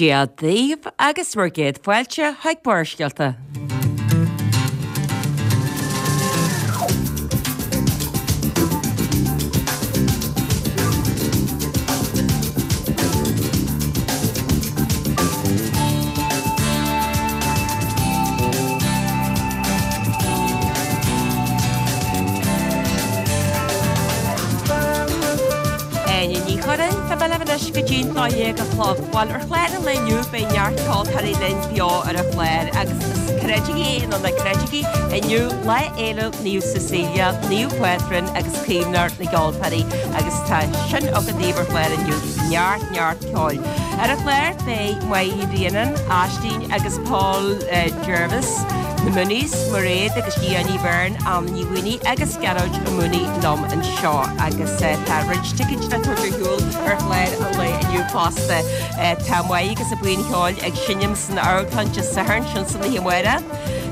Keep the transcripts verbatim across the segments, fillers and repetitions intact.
Dia daoibh agus bhur gcéad fáilte chuig Barrscéalta. Áine Ní Churráin, Tá mé libh anois go dtí'n dó dhéag a chlog. Bhuel, ar chlár an lae inniu beidh neart ceoltóirí linn beo ar an chlár agus is creidigí é nó ná creidigí, inniu Lá Fhéile Naomh Cecilia, Naomh Pátrún agus Caomhnóir na gCeoltóirí agus tá sin againn daoibh ar chlár inniu, neart, neart ceoil. Ar an chlár beidh Máire Ní Bhraonáin, Aisling agus Paul Jervis, Na Mooneys, Mairéad agus Diane Ní Bheirn, Anna Ní Mhaonaigh agus Gearóid Ó Maonaigh liom anseo agus tá roinnt ticéid le tabhairt ar shiúl ar chlár an lae inniu fosta. Tá Máire agus a buíon cheoil ag seinm san Amharclann Dé Sathairn, sin san oíche amárach,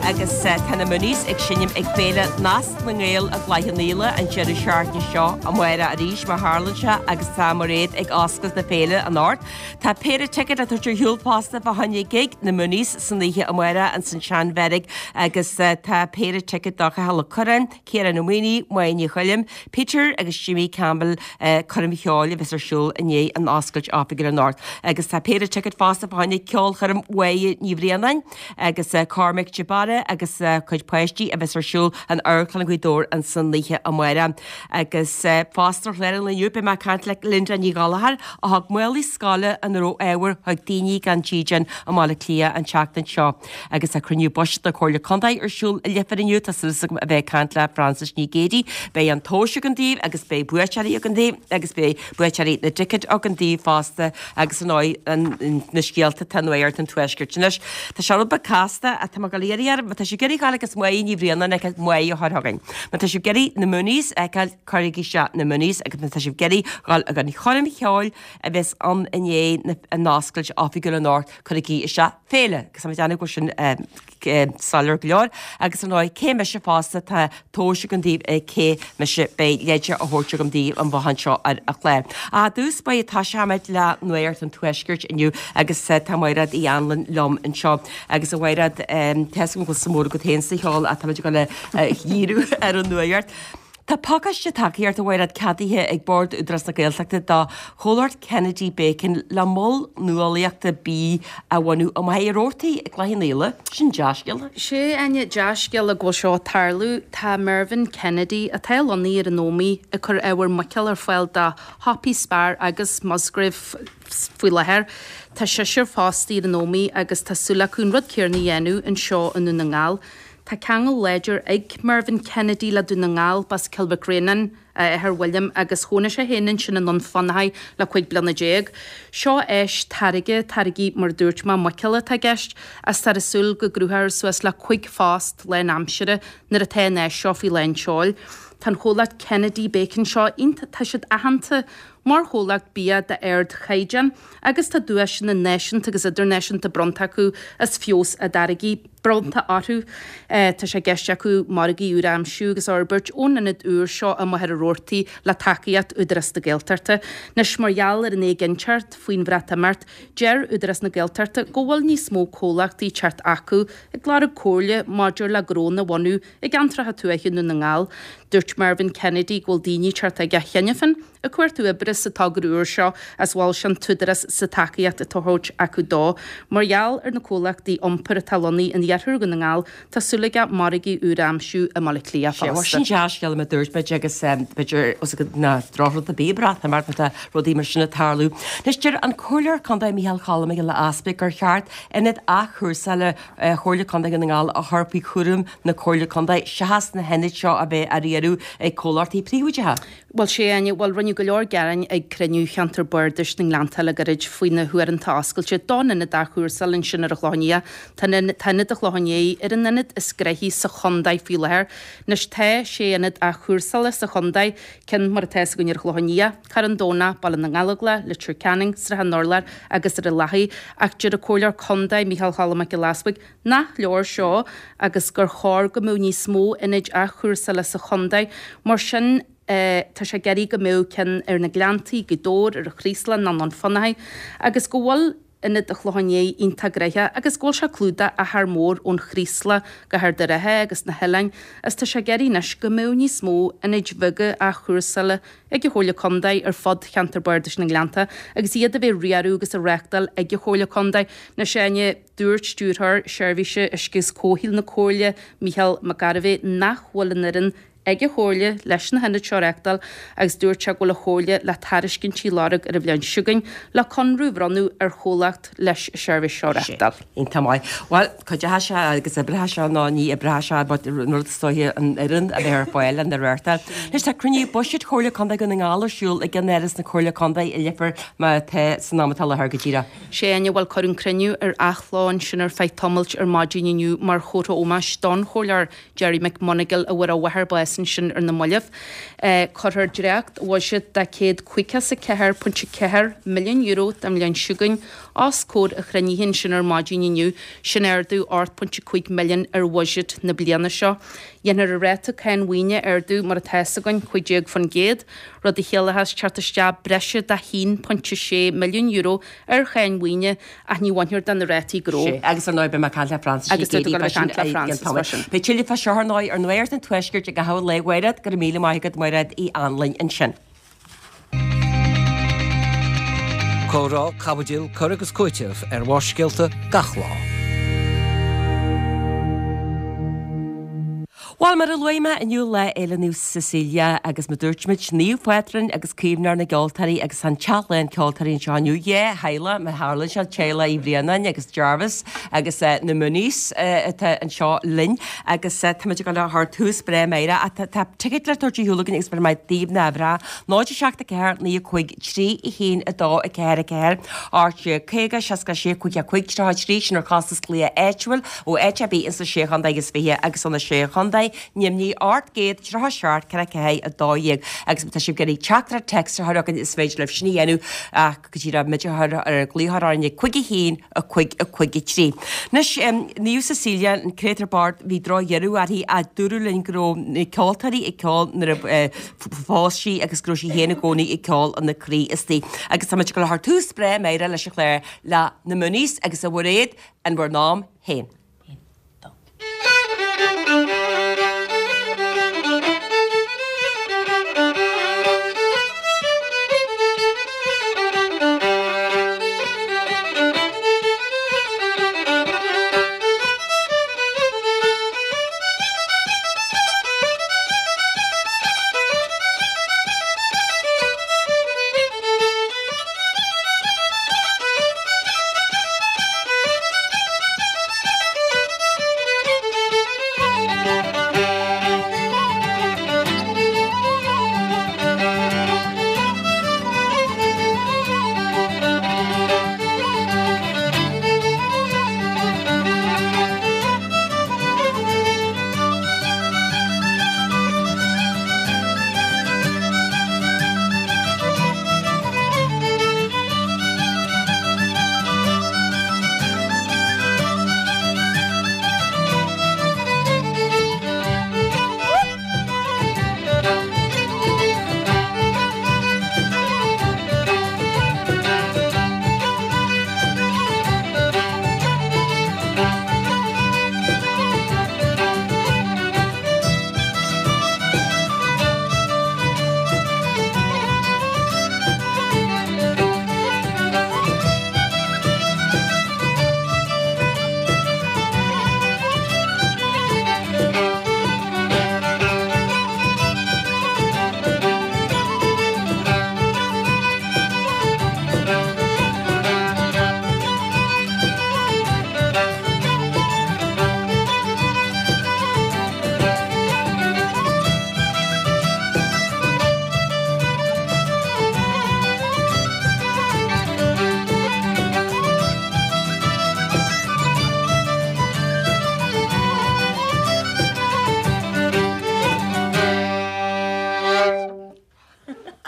agus tá na Mooneys ag seinm ag Féile Nasc na nGael i gCloich Cheann Fhaola an deireadh seachtaine seo amárach arís mar tharlaíonn sé agus tá Mairéad ag oscailt na féile anocht. Tá péire ticéad le tabhairt ar shiúl fosta fá choinne gig na Mooneys san oíche amárach ins an Seanbheairic agus tá péire ticéad do Chathal Ó Curráin, Ciarán Ó Maonaigh, Máire Ní Choilm, Peter agus Jimmy Campbell coirm cheoil a bheas ar siúl i ndiaidh an oscailt oifigiúil anocht. Agus tá péire ticéad fosta fá choinne ceolchoirm Mháire Ní Bhraonáin agus Cormac de Barra agus a cuid páistí a bheas ar siúl in Amharclann Ghaoth Dobhair ansan oíche amárach. Agus fosta ar chlár an lae inniu beidh mé ag caint le Linda Ní Ghallchóir a thug málaí scoile ina raibh ábhar chuig daoine gan dídean i mBaile Átha Cliath an tseachtain seo. Agus tá cruinniú buiséid na Comhairle Contae ar siúl i Leifear inniu, tá súil agam a bheith ag caint le Frances Ní Ghéidigh. Beidh an tomhas againn daoibh agus beidh buaiteoirí againn daoibh agus beidh buaiteoirí na dticéad againn daoibh fosta agus ar ndóigh na scéalta atá nuacht an Tuaiscirt. Anois, tá sé rud beag casta ach tá mé ag dul a iarraidh oraibh, má tá sibh ag iarraidh dul agus Máire Ní Bhraonáin a fheiceáil, Máire a chur chugainn. Má tá sibh ag iarraidh na Mooneys a fheiceáil, cuirigí isteach na Mooneys agus má tá sibh ag iarraidh dul ag an choirm cheoil a bheas ann i ndiaidh an oscailt oifigiúil anocht, cuirigí isteach féile agus tá mé ag déanamh go bhfuil sin soiléir go leor agus ar ndóigh cé mise fosta tá tomhas agam daoibh ag cé mise beidh leide á thabhairt agam daoibh an bhothán seo ar an chlár. Ach i dtús báire toiseoimid le Nuacht an Tuaiscirt inniu agus tá Mairéad Uí Anluain liom anseo agus a Mhairéad tá fhios agam go bhfuil suim mhór agat féin sa cheol ach táimid ag dul a dhíriú ar an nuacht. Tá pacáiste tacaíochta a Mhairéad ceadaithe ag Bord Údarás na Gaeltachta do chomhlacht Kennedy Bacon le mol nuálaíochta bídh a bhunú i Machaire Rabhartaigh i gCloich Cheann Fhaola. Sin dea-scéala. Sé, Áine, dea-scéala go bhfuil seo ag tarlú. Tá Mervyn Kennedy, atá lonnaithe ar an Ómaigh, ag cur ábhar muiceola ar fáil do shiopaí Spar agus Musgrave faoi láthair. Tá seisear fostaí ar an Ómaigh agus tá súil acu an rud céanna a dhéanamh anseo i nDún na nGall. Tá ceangal láidir ag Mervyn Kennedy le Dún na nGall, b'as Cill Mhic Réanáin a athair William agus chónaigh sé féin ansin i nDún Fionnachaidh le cúig bliana déag. Seo áis táirge, táirgí mar a dúirt mé, muiceola atá i gceist, agus táthar ag súil go gcruthófar suas le cúig phost lánaimsire nuair atá an áis seo faoi lán tseoil. Tá an chomhlacht Kennedy Bacon seo iontach, tá siad aitheanta mar chomhlacht bia d'ardchaighdeán agus tá duaiseanna náisiúnta agus idirnáisiúnta bronnta acu as feabhas a dtáirgí bronnta orthu. Tá sé i gceist acu margaí úra a aimsiú agus a fhorbairt ón ionad úr seo i Machaire Rabhartaigh le tacaíocht Údarás na Gaeltachta. Anois, mar gheall ar an éiginnteacht faoin Bhreatimeacht, deir Údarás na Gaeltachta go bhfuil níos mó comhlachtaí ag teacht acu ag lorg comhairle maidir le gnónna a bhunú i gceantracha tuaithe Dhún na nGall. Dúirt Mervyn Kennedy go bhfuil daoine ag teacht aige cheana féin ag cuartú oibre sa togra úr seo is mhol sé an tÚdarás sa tacaíocht atá á thabhairt acu dó. Mar gheall ar na comhlachtaí iompair atá lonnaithe in iarthar Dhún na nGall, tá súil aige margaí úra a aimsiú i mBaile Átha Cliath Sé, fosta. sin dea-scéala mar a dúirt muid agus b'fhéidir os ag na drochrud a bhí Breatimeacht má tá rudaí mar sin ag tarlú. Anois deir an Comhairleoir Contae Micheál Choilm Mac Giolla Easpaig gur cheart ionad athchúrsála Chomhairle Contae Dhún na nGall a chur faoi chúram na Comhairle Contae seachas na hionaid seo a bheith á riaradh ag comhlachtaí príobháideacha. Bhuel, sé, Áine, bhuel, rinneadh go leor gearáin ag cruinniú Cheantar Bardais na nGleannta le gairid faoi na huaireanta oscailte don ionad athchúrsála ansin ar an Chlochán Liath. Tá an tá ionad an Chlocháin Léith ar an ionad is gnoithí sa chontae faoi láthair. Anois tá sé ionad athchúrsála sa chontae, ceann mar atá againn ar an Chlochán Liath, Carn Domhnach, Baile na nGallóglach, Leitir Ceanainn, Srath an Urláir agus ar an Lathaigh. Ach deir an Comhairleoir Contae, Micheál Choilm Mac Giolla Easpaig, nach leor seo agus gur chóir go mbeadh níos mó ionaid athchúrsála sa chontae. Mar sin, tá sé ag iarraidh go mbeadh ceann ar na Gleanntaí, Gaoth Dobhair, ar an Chraoslach nó i nDún Fionnachaidh agus go bhfuil Ionad an Chlocháin Léith iontach gnoitheach agus go bhfuil sé clúdaithe achar mór ón Chraoslach go hArd an Rátha agus na hoileáin is tá sé ag iarraidh anois go mbeadh níos mó ionaid bheaga athchúrsála ag an Chomhairle Contae ar fud cheantar Bardais na nGleannta agus iad a bheith riaradh agus a reáchtáil ag an Chomhairle Contae. Anois Áine, dúirt Stiúrthóir Seirbhíse Uisce agus Comhshaoil na Comhairle, Mícheál Mac Gairbheith, nach bhfuil an fhoireann ag an Chomhairle leis na hionaid seo a reáchtáil agus dúirt sé go bhfuil an Chomhairle le tairiscintí a lorg ar an bhliain seo chugainn le conradh a bhronnadh ar chomhlacht leis an seirbhís seo a reáchtáil. Iontach maith. Bhuel, cuideoidh sé agus oibreoidh sé nó ní oibreoidh sé but an rud is dóiche an fhoireann a bheith ar fáil lena reáchtáil. Anois tá cruinniú buiséid Chomhairle Contae Dhún na nGall ar siúl i gceannáras na Comhairle Contae i Leifear mar atá san am atá i láthair go díreach. Sé Áine, bhuel cuireadh an cruinniú ar athló ansin ar feadh tamaill ar maidin inniu mar chomhartha ómóis don Chomhairleoir Gerry McMonagle a bhfuair a mháthair bás ansin ar na mallaibh. Cuirfear dréacht-bhuiséad de céad caoga is a ceathair pointe ceathair milliún euro don bhliain seo chugainn os comhair an chruinnithe ansin ar maidin inniu, sin ardú ocht pointe cúig milliún ar bhuiséad na bliana seo. Dhéanfar an ráta cáin mhaoine a ardú mar atá fhios againn, cúig déag faoin gcéad, rud a chiallóchas teacht isteach breise de haon pointe sé milliún euro ar cháin mhaoine ach ní bhainfear de na rátaí gnó. Sea, agus ar ndóigh beidh mé ag caint le Frances Agus tá tú ag dul a bheith ag caint le Frances freisin. Beidh tuilleadh fá seo ar ndóigh ar Nuacht an Tuaiscirt i gcaitheamh an lae, a Mhairéad, go raibh míle maith agat Mairéad Uí Anluain ansin. Comhrá, caibidil, cur agus cúiteamh ar Bharrscéalta gach lá. Bhuel, mar a luaigh mé, inniu Lá Fhéile Naomh Cecilia agus mar dúirt muid, naomh phátrún agus caomhnóir na gceoltóirí agus tá an teach lán ceoltóirí anseo inniu. Dhá theaghlach, mar tharlaíonn sé, teaghlach Uí Bhraonáin agus Jarvis agus na Mooneys atá anseo linn agus táimid ag dul a chur tús breá amárach ach tá ticéid le tabhairt ar shiúl againn agus beidh mé daoibh na bhreá. náid a seacht a ceathair naoi a cúig trí a haon a dó a ceathair a ceathair ocht déag caoga seasca a sé cúig a cúig tríocha a trí sin ar chostas glaoch áitiúil ó áit ar bith ins na Sé Chontae agus Fiche agus ó na Sé Chontae Nimhní ocht gcéad tríocha seacht ceithre ceathair a dó dhéag agus má tá sibh ag iarraidh teachtaireacht téacs a chur chugainn is féidir libh sin a dhéanamh ach go díreach muid a chur ar an glaoch orainn ag cúig a haon a cúig a cúig a trí. Anois Naomh Cecilia an créatúr bocht bhí drochdheireadh uirthi ach dúradh linn go raibh na ceoltóirí ag ceol nuair a phós sí agus go raibh sí féin i gcónaí ag ceol ina croí istigh. Agus tá muid ag dul a chur tús breá amárach leis an chlár le na Mooneys agus a Mhairéad in bhur n-am féin.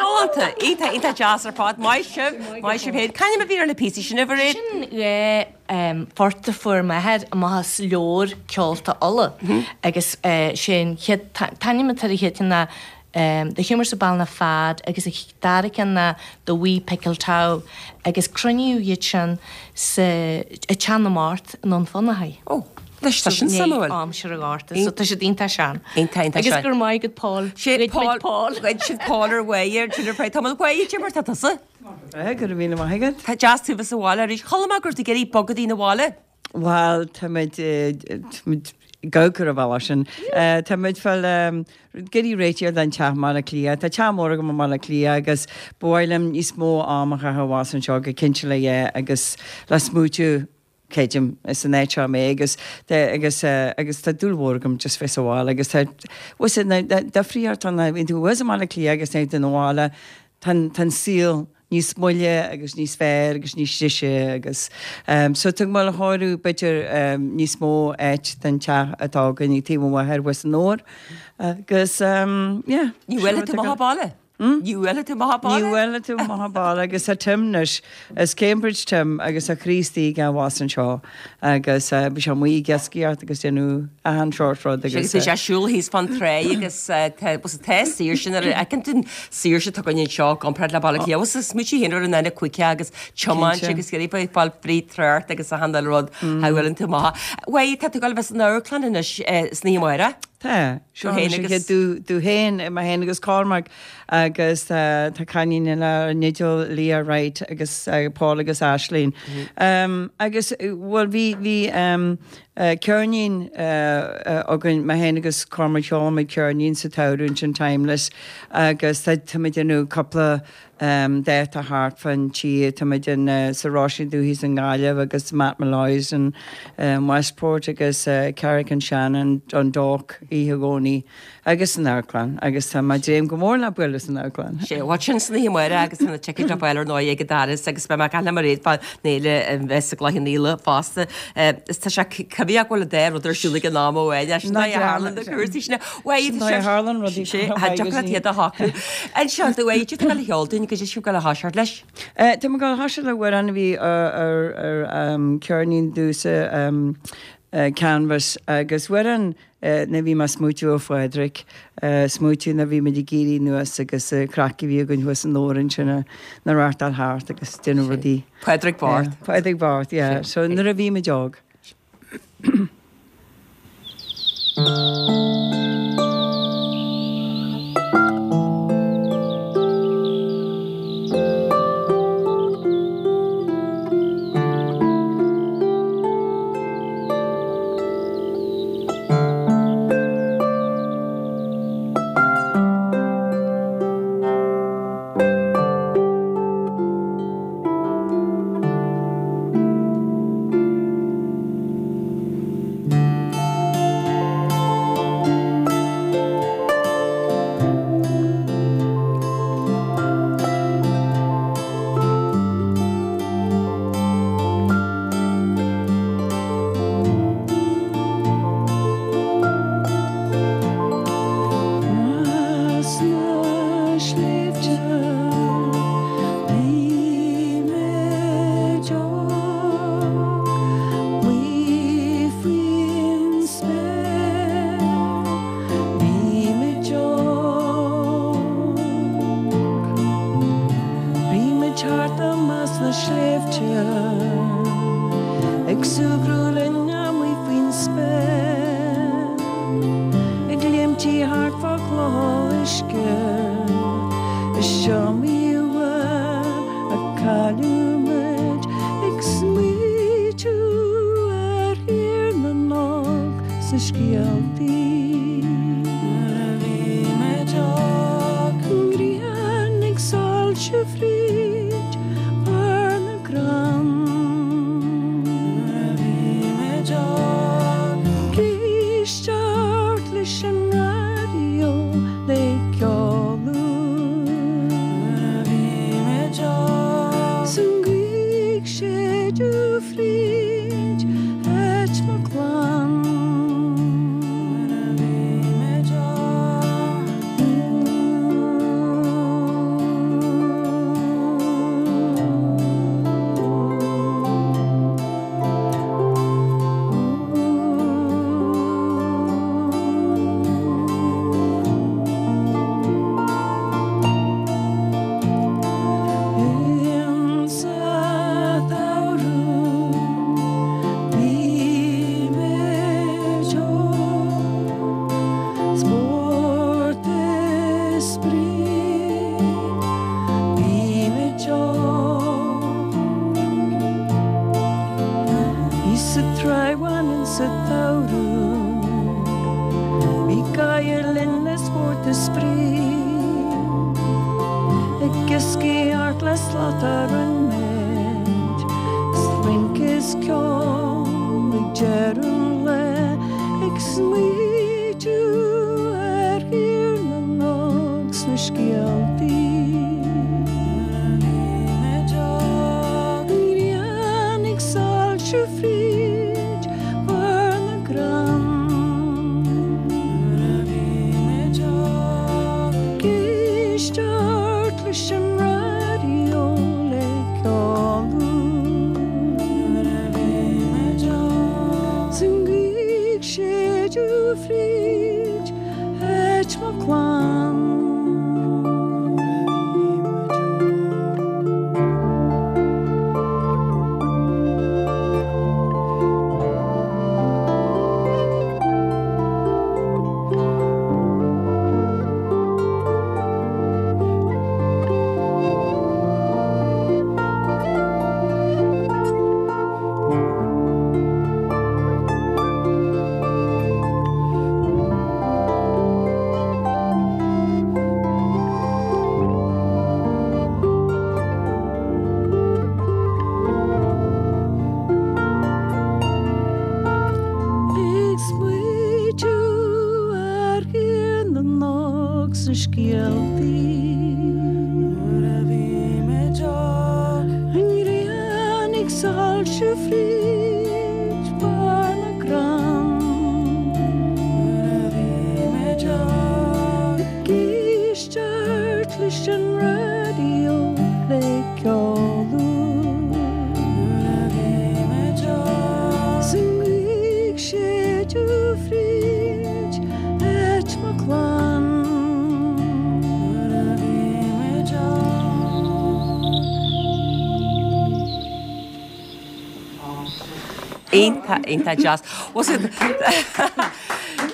Galánta! Iontach, iontach deas ar fad. Maith sibh, maith sibh féin. C'ainm a bhí ar na píosaí sin, a Mhairéad? Sin dhá phort a fuair m'athair amach as leabhar ceolta Uladh agus sé an chéad, t-ainm atá ar an chéad cheann ná The Humours of Ballinafad agus a dara ceann ná The Wee Pickle Tow agus cruinníodh iad sin sa i Teach na Mart i nDún Fionnachaidh. Ó, anois tá sin suimiúil. Aimsir an Ghorta, so tá siad iontach sean. Iontach, iontach Agus sean. go raibh maith agat Paul. Sé Ghoid Paul, muid Paul. Ghoid siad Paul ar mhaith ar Twitter Tá mé mhaith Jim mar tá tusa. Go raibh míle maith agat. Tá deas tú bheith sa bhaile arís. Chuala mé go raibh tú ag iarraidh bogadh na bhaile. Well, táimid go ar bhealach sin. Táimid fáil goidí réitigh den teach i mBaile Átha Cliath. Tá teach mór agam i mBaile Átha Cliath agus ba mhaith liom níos mó am a chaitheamh abhus anseo go cinnte le é agus le smaoitiú creidim is an áit seo mé agus agus agus tá dúil mhór agam just bheith sa bhaile agus tá difríocht ann bhíonn tú abhus i mBaile Átha Cliath agus nuair tú na bhaile tá an saol níos moille agus níos fearr agus níos deise agus um, so tá mé ag chóiriú b'fhéidir um, níos mó áit den teach atá againn ag taobh amuigh abhus san Fhómhar agus um, yeah. Ní bhfuil tú maith baile? Ní bhfuil tú maith Ní baile? bhfuil tú maith baile agus tá Tim anois is Cambridge Tim agus a Chríostaí gan was anseo agus uh, bhí sé amuigh ag iascaireacht agus déanamh achan sórt rud Agus agus sé siúl thíos fan trá agus tá saoirse ar fheiceann tú saoirse atá againn anseo comparáid le Baile Átha Cliath. Is smaointe féin ar an duine chuige agus tiomáint Cinnte. agus ag fáil fríd trácht agus achan rud a bhfuil tú maith. Bhuel tá tú ag gabháil bheith san amharclann anois san oíche amárach? Tá seo féin agus- dú dú féin mé féin agus Cormac agus uh, tá cailín eile Nigel Leah Wright agus uh, Paul agus Ashleen. Um, agus well bhí bhí um, uh, ceirnín uh, uh, againn mé féin agus Cormac sheol muid ceirnín sa tsamhradh sin Timeless agus tá táimid déanamh cúpla um, dáta thart fan tí táimid in uh, sa Róisín Dubh thíos i nGaillimh agus Matt Molloy's in um, Westport agus uh, Carrick and Shannon an Dock oíche Dhomhnaigh agus san amharclann agus tá mé ag dréim go mór le bualadh san amharclann. Sé what sin san oíche amárach agus tá na ticéid ar fáil ar ndóigh ag an doras agus beidh mé ag caint le Mairéad fán fhéile bheith sa gCloich Cheann Fhaola fosta. Is tá sé cuimhneach go bhfuil dá rud ar siúl ag an am amháin leis Ná na tharlann na cúrsaí sin. Sin ná tharlann rudaí iad a shocrú. Anseo tú é tú le cheoltain go siú go le thoiseacht leis. Uh, Tá go thoiseacht le amhrán a bhí ar ar um, ceirnín domhsa um, uh, Canvas agus amhrán uh, na bhí mé smaoitiú ar Phádraig uh, smaoitiú na bhí muid ag éirí anuas agus uh, craic a bhí againn thuas an Óran sin na rachtáil thart agus déanamh rudaí. Pádraig Bart. Yeah, Pádraig Bart, yeah. So nuair a bhí muid óg. Ag súgradh linn amuigh faoin spéir Ag léimtí thart fá chlocha uisce Is iomaí uair a cailleadh muid ag smaoitiú ar Thír na nÓg sa scéaltaí. Nuair a bhí muid óg, an ghrian ag soilsiú fríd barr na gcrann. Nuair a bhí muid óg, ag éisteacht leis an raidió le ceol úr. Nuair a bhí muid óg, 's an ghaoth ag séideadh fríd áit mo chlann. Nuair a bhí muid óg. sa tsamhradh Bhí Gael Linn le spórt is spraoi Ag iascaireacht le slat ar an mbád 'S rince is ceol ag deireadh an lae Ag smaoitiú ar Thír na nÓg 's na scéaltaí An ghrian ag soilsiú fríd bharr na gcrann Ag éisteacht leis an raidió le ceol 'S an ghaoth ag séideadh fríd áit mo chlann. Ag smaoitiú ar Thír na nÓg 's na scéaltaí An ghrian ag soilsiú fríd bharr na gcrann Ag éisteacht leis an raidió le ceol 'S an ghaoth ag séideadh fríd áit mo chlann. Iontach, iontach deas. Was it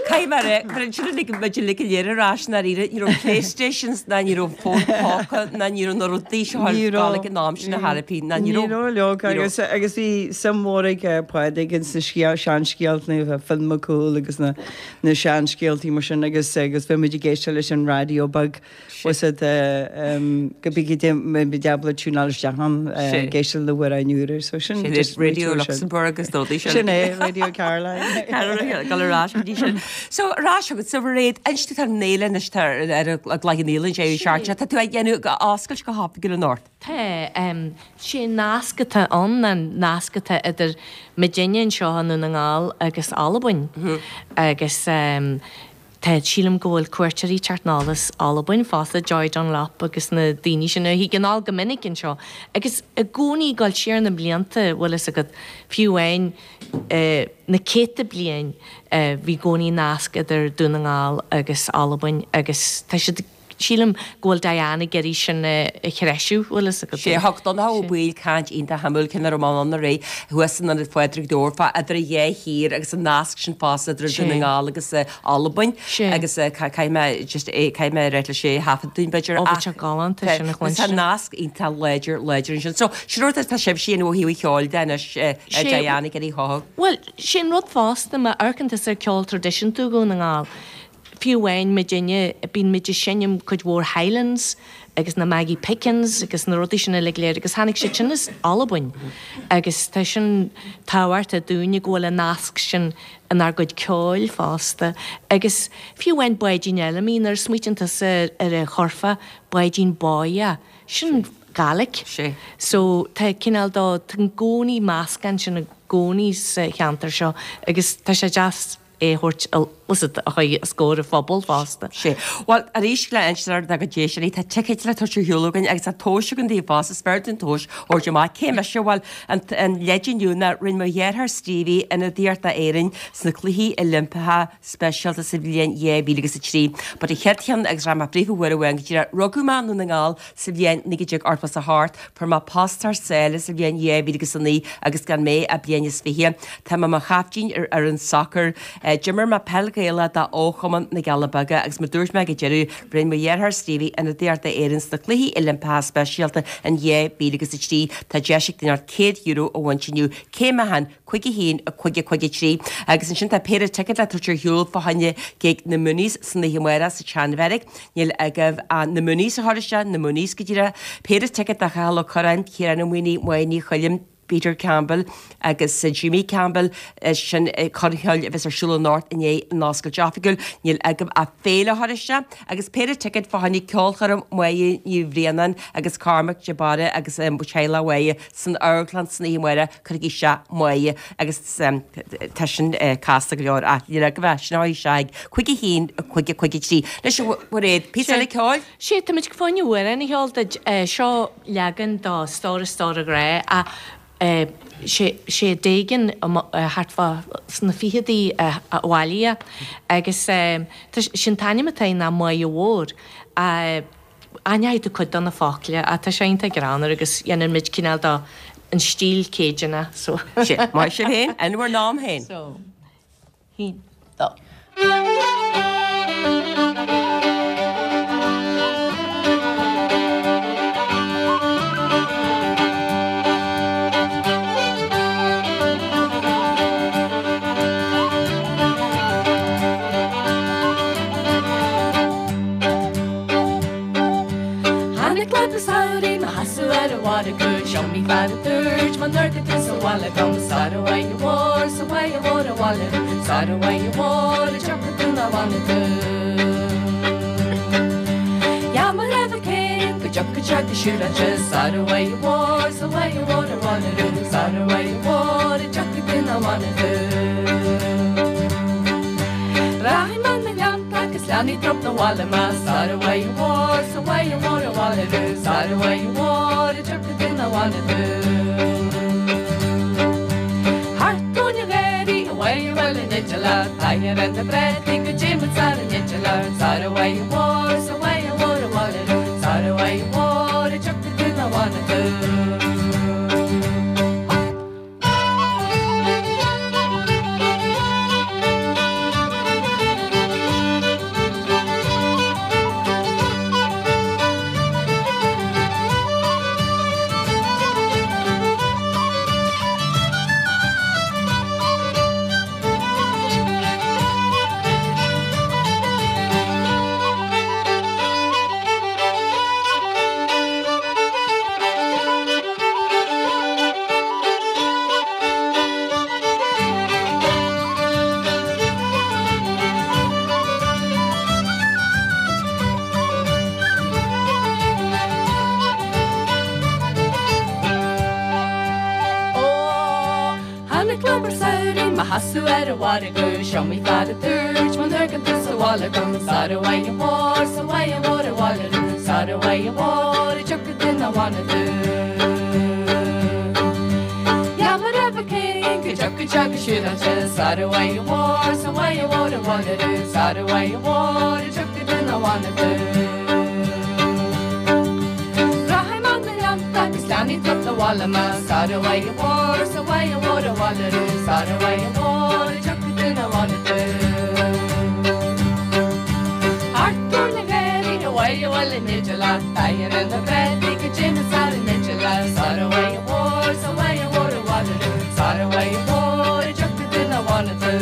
Caithfidh mé a rá, cuireann sin uilig muid uilig go léir ar ais ndáiríre. Ní raibh Playstations ná ní raibh fón póca ná ní raibh na rudaí seo Ní raibh. gála in am sin a therapy ná ní Ní raibh. raibh leoga Ní raibh. agus agus bhí suim mhór ag eh, Pádraig ins na scéal seanscéalta na Finn Mac Cumhaill agus na na seanscéaltaí mar sin agus agus bhí muid ag éisteacht leis an raidió beag was it go bí deabla túnáil isteach an Sé. ag éisteacht le hamhráin úra so sin Sin just Radio sin. Luxembourg agus rudaí sin. Sin é Radio Caroline. Gal ar ais go dtí sin. So ar ais agat sa réad inste tá néile is tá ar a ghlaigh nílan sé seaarte, Tá tú ag dhéanamh go oscailt go hoifigiúil anocht. Tá um, sé nasc atá ann an nasc atá idir muidinne anseo i nDún na nGall agus Albain. Agus um, tá sílim go bhfuil cuairteoirí teacht anall as Albain fosta Joy Dunlop agus na daoine sin a thig anall go minic anseo. Agus i gcónaí ag dul siar na blianta bhfuil fhios agat fiú amháin eh, na céadta bliain eh, bhí i gcónaí nasc idir Dún na nGall agus Albain agus tá siad sílim go bhfuil Diane ag iarraidh sin eh, a threisiú bhfuil fhios agat. Sé thug Donncha Ó Baoill caint iontach shuimiúil cinn ar an an ré thuas an Phádraig Dórfa idir a dhá thír agus an nasc sin fosta idir Sé. Dún na nGall agus eh, Albain Sé. agus eh, ca- caithfidh mé just é caithfidh mé rá le sé thaifead dúinn b'fhéidir Ó, ach bhí sé galánta tá- sin a Tá chluinstin. nasc iontach láidir láidir ansin. So sin rud tá sibhse ó thaobh cheoil de anois eh, eh, Sé- Diane ag iarraidh chothú. Well, sin rud fosta má amharcann tusa ar ceol traidisiúnta Dhún na nGall. Fiú amháin muidinne bíonn muid ag seinm cuid mhór Highlands agus na Maggie Pickens agus na rudaí sin uilig léir agus tháinig siad sin as Albain. Agus tá sin tábhachtach dúinne go bhfuil an nasc sin inár gcuid ceoil fosta. Agus fiú amháin Báidín Fheilimí nuair a smaoitíonn tusa ar a chorfa Báidín Báighe, sin Gaelic. Sé. So tá cineál dó tá i gcónaí meascán sin i gcónaí sa cheantar seo agus tá sé deas é thabhairt a chuid a scór a phobal fosta. Sé. Well arís le instar go déisirí tá ticket le tuú hiúlagan agus a tóise an daoh fás is spéir an tóis ó amach cé se bhfuil an leidinúna rinne mo dheartháir Stevie ionadaíocht d'Éirinn sna cluichí Oilimpeacha speisialta sa bhliain dhá mhíle agus a trí. But a chéad cheann agus ra príomh bhfuair bhain go rugadh mé i nDún na nGall sa bhliain naoi déag ochtó a hocht, fuair mé post thar sáile sa bhliain dhá mhíle agus a naoi agus gan mé ach bliain is fiche. Tá mé mo chaiftín ar ar an soccer. D'imir mé peil Gaelach do Chumann na gCealla Beaga agus mar dúirt mé ag deireadh rinne mo dheartháir Stevie ionadaíocht d'Éirinn sna Cluichí Oilimpeacha Speisialta in dhá mhíle agus a trí tá deis ag duine céad euro a bhaint inniu céim a haon cúig a haon a cúig a cúig a trí agus ansin tá péire ticéad le tabhairt ar shiúl fá choinne gig na Mooneys san oíche amárach sa tSeanbheairic níl agaibh na Mooneys a chur isteach na Mooneys go díreach péire ticéad do Chathal Ó Curráin Ciarán Ó Maonaigh Máire Ní Choilm Peter Campbell agus Jimmy Campbell sin coirm cheoil a bheas ar siúl anocht i ndiaidh an oscailt oifigiúil níl agaibh ach féile a chur isteach agus péire ticéad fá choinne ceolchoirm Mháire Ní Bhraonáin agus Cormac de Barra agus teaghlach Mháire san amharclann san oíche amárach cuirigí isteach Máire agus tá sin casta go leor ach níl agaibh ach sin a chur isteach ag cúig a haon a cúig a cúig a trí. Anois a Mhairéad, píosa eile ceoil? Sea, táimid fá choinne amhrán a cheol duit. Seo leagan de Stór a Stór a Ghrá ach sé Doegen thart fá sna fichidí a bhailigh é agus sé an t-ainm atá air ná Máighe Mhór. Aithneoidh tú cuid de na focla ach tá sé iontach greannmhar agus dhéanann muid cineál de an stíl Cajun so. Sé, maith sibh féin, in bhur n-am féin. So, haon, dó. Tháinig lad an tsamhraidh 'mo sheasamh ar an mhargadh 'S iomaí fear a dúirt muna n-amharcfaidh tú sa bhaile dom Sara bhfaighidh a mhór 's a bhfaighidh a mhór abhaile Sara bhfaighidh a mhór a dtiocfaidh tú ná fanfaidh tú Dheá mo raibh aici féin go dtiocfaidh sé go siúráilte Sara bhfaighidh a mhór 's a bhfaighidh a mhór abhaile Sara bhfaighidh a mhór a dtiocfaidh tú ná fanfaidh tú Rachaidh mé 'na ngleannta agus leanfaidh trup 'na bhaile mé Sara bhfaighidh a mhór 's a bhfaighidh a mhór abhaile Sara bhfaighidh a mhór a dtiocfaidh tú ná fanfaidh tú Thart tóin an gharraí a bhfaighidh a bhfuil an idirlear Taitneamh ar na bpréataí go dté muid sar an idirlear Sara bhfaighidh a mhór 's a bhfaighidh a mhór abhaile Sara bhfaighidh a mhór a dtiocfaidh tú ná fanfaidh tú Ó, tháinig lúb an tsamhraidh 'mo sheasamh ar an mhargadh 's iomaí fear a dúirt muna n-amharcann tú sa bhaile dom Sara bhfaighidh a mhór 's a bhfaighidh a mhór abhaile Sara bhfaighidh a mhór a dtiocfaidh tú ná fanfaidh tú Dheá mo raibh aici féin go dtiocfaidh sé go siúráilte Sara bhfaighidh a mhór 's a bhfaighidh a mhór abhaile Sara bhfaighidh a mhór a dtiocfaidh tú ná fanfaidh tú Rachaidh mé 'na ngleannta agus leanfaidh trup 'na bhaile mé Sara bhfaighidh a mhór 's a bhfaighidh a mhór abhaile Sara bhfaighidh a mhór a dtiocfaidh tú ná fanfaidh tú Thart tóin an gharraí a bhfaighidh a bhfuil an idirlear Taitneamh ar na préataí go dté muid sar an idirlear Sara bhfaighidh a mhór 's a bhfaighidh a mhór abhaile Sara bhfaighidh a mhór a dtiocfaidh tú ná fanfaidh tú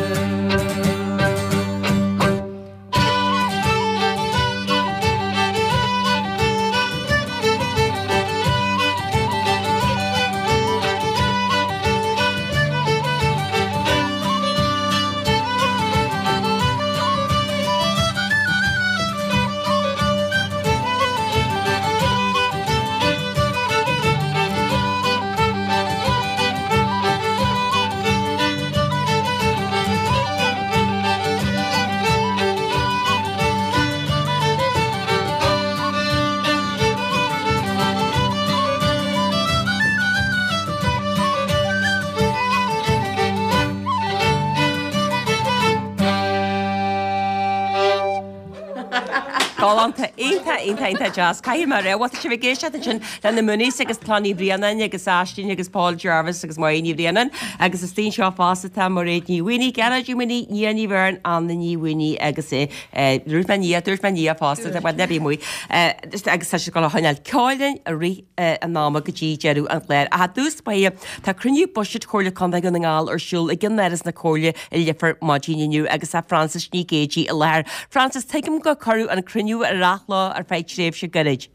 Galánta, iontach, iontach, iontach deas. Caithfidh mé a rá, bhuel tá sibh ag éisteacht ansin le na Mooneys agus Clann Uí Bhraonáin agus Aisling agus Paul Jarvis agus Máire Ní Bhraonáin agus istigh anseo fosta tá Mairéad Ní Mhaonaigh, Gearóid Ó Maonaigh, Nia Ní Bheirn, Anna Ní Mhaonaigh agus dúirt mé Nia, dúirt mé Nia fosta, bhuel ná bí amuigh. Agus tá siad ag dul a choinneáil ceoil linn i rith an ama go dtí deireadh an chláir. Ach i dtús báire, tá cruinniú buiséid Chomhairle Contae Dhún na nGall ar siúl i gceannáras na Comhairle i Leifear maidin inniu agus tá Frances Ní Ghéidigh i láthair. Frances, tuigim gur cuireadh an cruinniú ar athló ar feadh tréimhse gairid.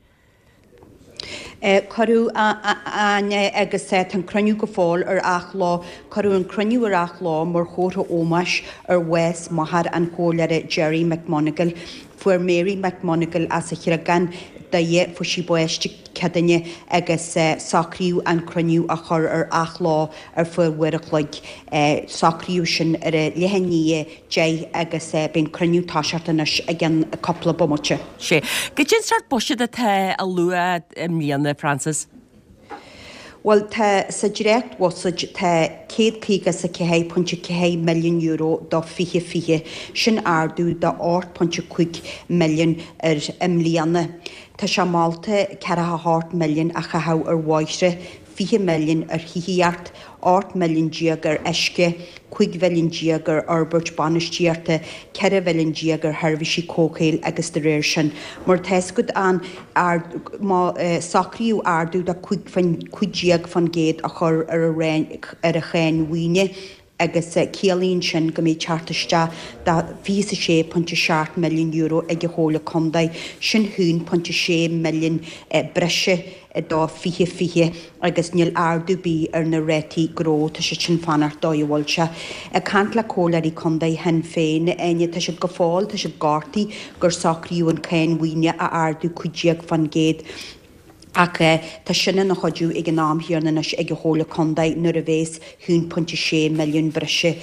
Cuireadh, a Áine, agus tá an cruinniú go fóill ar athló. Cuireadh an cruinniú ar athló mar chomhartha ómóis ar bhás máthair an chomhairleora Gerry McMonagle. Fuair Mary McMonagle as an Chreagán, Doire, fuair sí bás Dé Céadaoine agus socraíodh an cruinniú a chur ar athló ar feadh uair a chloig. Socraíodh sin ar a leath i ndiaidh a deich agus beidh an cruinniú ag toiseacht anois i gceann cúpla bomaite. Sea. Goidé an sórt buiséad atá á lua i mbliana, Frances? Bhuel, tá, sa dréacht-bhuiséad tá céad caoga is a ceathair pointe ceathair milliún euro do fiche fiche, sin ardú de ocht pointe cúig milliún ar i mbliana. Tá sé molta ceathracha a hocht milliún a chaitheamh ar bhóithre, fiche milliún ar thithíocht, ocht milliún déag ar uisce, cúig mhilliún déag ar fhorbairt bainistíochta, ceithre mhilliún déag ar sheirbhísí comhshaoil agus de réir sin. Mar tá a fhios agat an má socraíodh ardú de cúig déag faoin gcéad a chur ar ar an cháin mhaoine agus ciallaíonn sin go mbeidh teacht isteach de fiche is a sé pointe seacht milliún euro ag an Chomhairle Contae, sin haon pointe sé milliún breise do fiche fiche agus níl ardú ar bith ar na rátaí gnó, tá siad sin fanacht dóigh a bhfuil sé. Ag caint le Comhairleoirí Contae Shinn Féin, Áine, tá siad go fóill, tá siad gortaithe gur socraíodh an cáin mhaoine a ardú cúig déag faoin gcéad. Ach tá sin ina chuidiú ag an am chéanna anois ag an Chomhairle Contae nuair a bhéas haon pointe sé milliún breise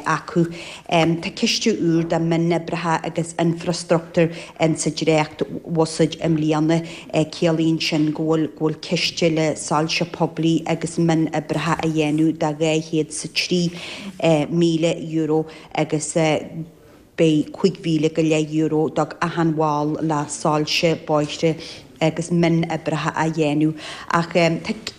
acu. Tá ciste úr do mhionoibreacha agus infreastruchtúr in sa dréacht bhuiséad i mbliana. Ciallaíonn sin go bhfuil go bhfuil ciste le soilse poiblí agus mionoibreacha a dhéanamh de dhá chéad 's a trí míle euro agus beidh cúig mhíle go leith euro do achan bhall le soilse bóithre agus mionoibreacha a dhéanamh. Ach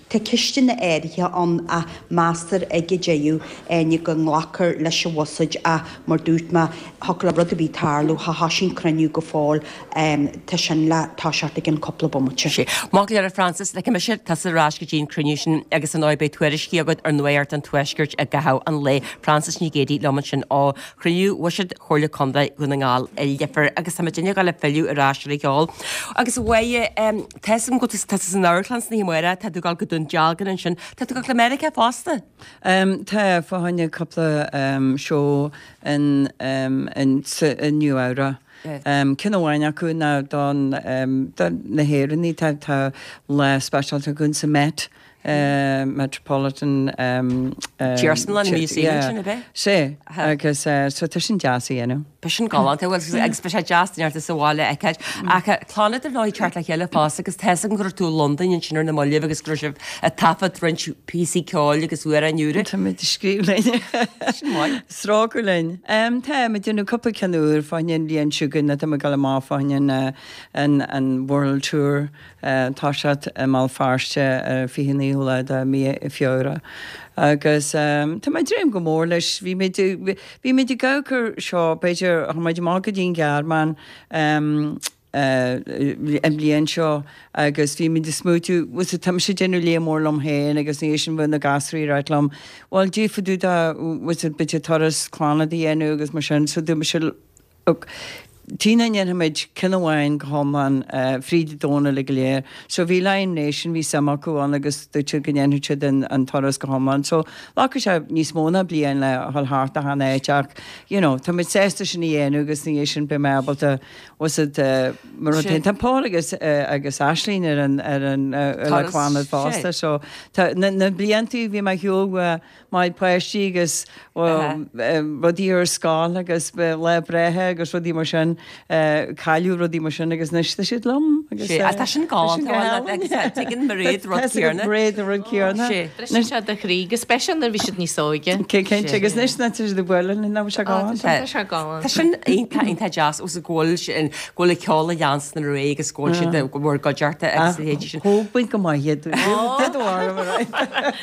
tá ceisteanna áirithe ann ach meastar ag an deireadh, Áine, go nglacfar leis an bhuiséad ach mar dúirt mé, thiocfadh le rud ar bith tarlú, cha thosaigh an cruinniú go fóill, tá sin le toiseacht i gcionn cúpla bomaite. Sea. Maith go leor a Frances, ligfidh mise tusa ar ais go dtí an cruinniú sin agus ar ndóigh beidh tuairiscí agat ar Nuacht an Tuaiscirt i gcaitheamh an lae. Frances Ní Ghéidigh liom ansin ó chruinniú bhuiséad Chomhairle Contae Dhún na nGall i Leifear agus tá muid ag gabháil a filleadh ar ais ar an cheol. Agus a Mháire, tá a fhios agam go bhfuil tú san amharclann san oíche amárach, tá tú ag dul go Dún Dealgan ansin, tá tú ag dul go Meiriceá fosta? Tá, fá choinne cúpla seó in in i Nua Eabhrac. Ceann amháin acu ná don do na hÉireannaigh, tá tá lá speisialta againn sa Met. Metropolitan Iarsmalann Museum ansin, ab ea? Sea, agus so tá sin deas a dhéanamh. Beidh sin galánta, bhuel agus beidh sé deas duine ort sa bhaile a fheiceáil. Ach Clannad ar ndóigh ag teacht le chéile fosta agus tá a fhios agam go raibh tú i Londain ansin ar na mallaibh agus go raibh sibh ag taifead roinnt píosaí ceoil agus amhráin úra. Tá muid ag scríobh linn. Sin maith. Strócadh linn. Tá muid ag déanamh cúpla ceann úr fá choinne an bhliain seo chugainn, tá muid ag dul amach fá choinne an an World Tour. Tá siad i mBéal Feirste ar fiche naoú lá de mí Feabhra agus tá mé ag dréim go mór leis. Bhí muid, bhí muid ag amharc air seo, b'fhéidir, chuaigh muid amach go dtí an Ghearmáin an bhliain seo agus bhí muid ag smaoitiú, bhuel, tá mise ag déanamh léamh mór liom féin agus ina dhiaidh sin bheadh na gasraí ag ráit liom, bhuel, d'fhéadfá tú do, bhuel, b'fhéidir turas Clannad a dhéanamh agus mar sin, so dúirt mise, Look, tuige nach ndéanfaimid ceann amháin go hiomlán fríd an domhan uilig go léir. So bhí Lion Nation, bhí suim acu ann agus dúirt siad go ndéanfadh siad an an turas go hiomlán. So ghlacfadh sé níos mó ná bliain le dhul thart achan áit ach you know tá muid sásta sin a dhéanamh agus ina dhiaidh sin beidh mé ábalta was it mar rud féin. Tá Paul agus agus Aisling ar an ar an le Clannad fosta so tá na na blianta bhí mé ar shiúl mo pháistí agus rudaí ar scoil agus lá breithe agus rudaí mar sin, cailleadh rudaí mar sin agus anois tá siad liom. Agus Sé, tá sin galánta agus tuigeann Mairéad rud céanna. Mairéad an rud céanna. Sé. Briseann sé do chroí go speisialta nuair bhí siad níos óige. Cinnte agus anois ná tá siad ag bualadh linn, ná bhfuil sé galánta. Tá sé galánta. Tá sin iontach iontach deas os go bhfuil sin go bhfuil an ceol a dheans na ré agus go bhfuil siad go bhfuil gcuideachta agus a leithéidí sin. Thóg baint go maith iad. Did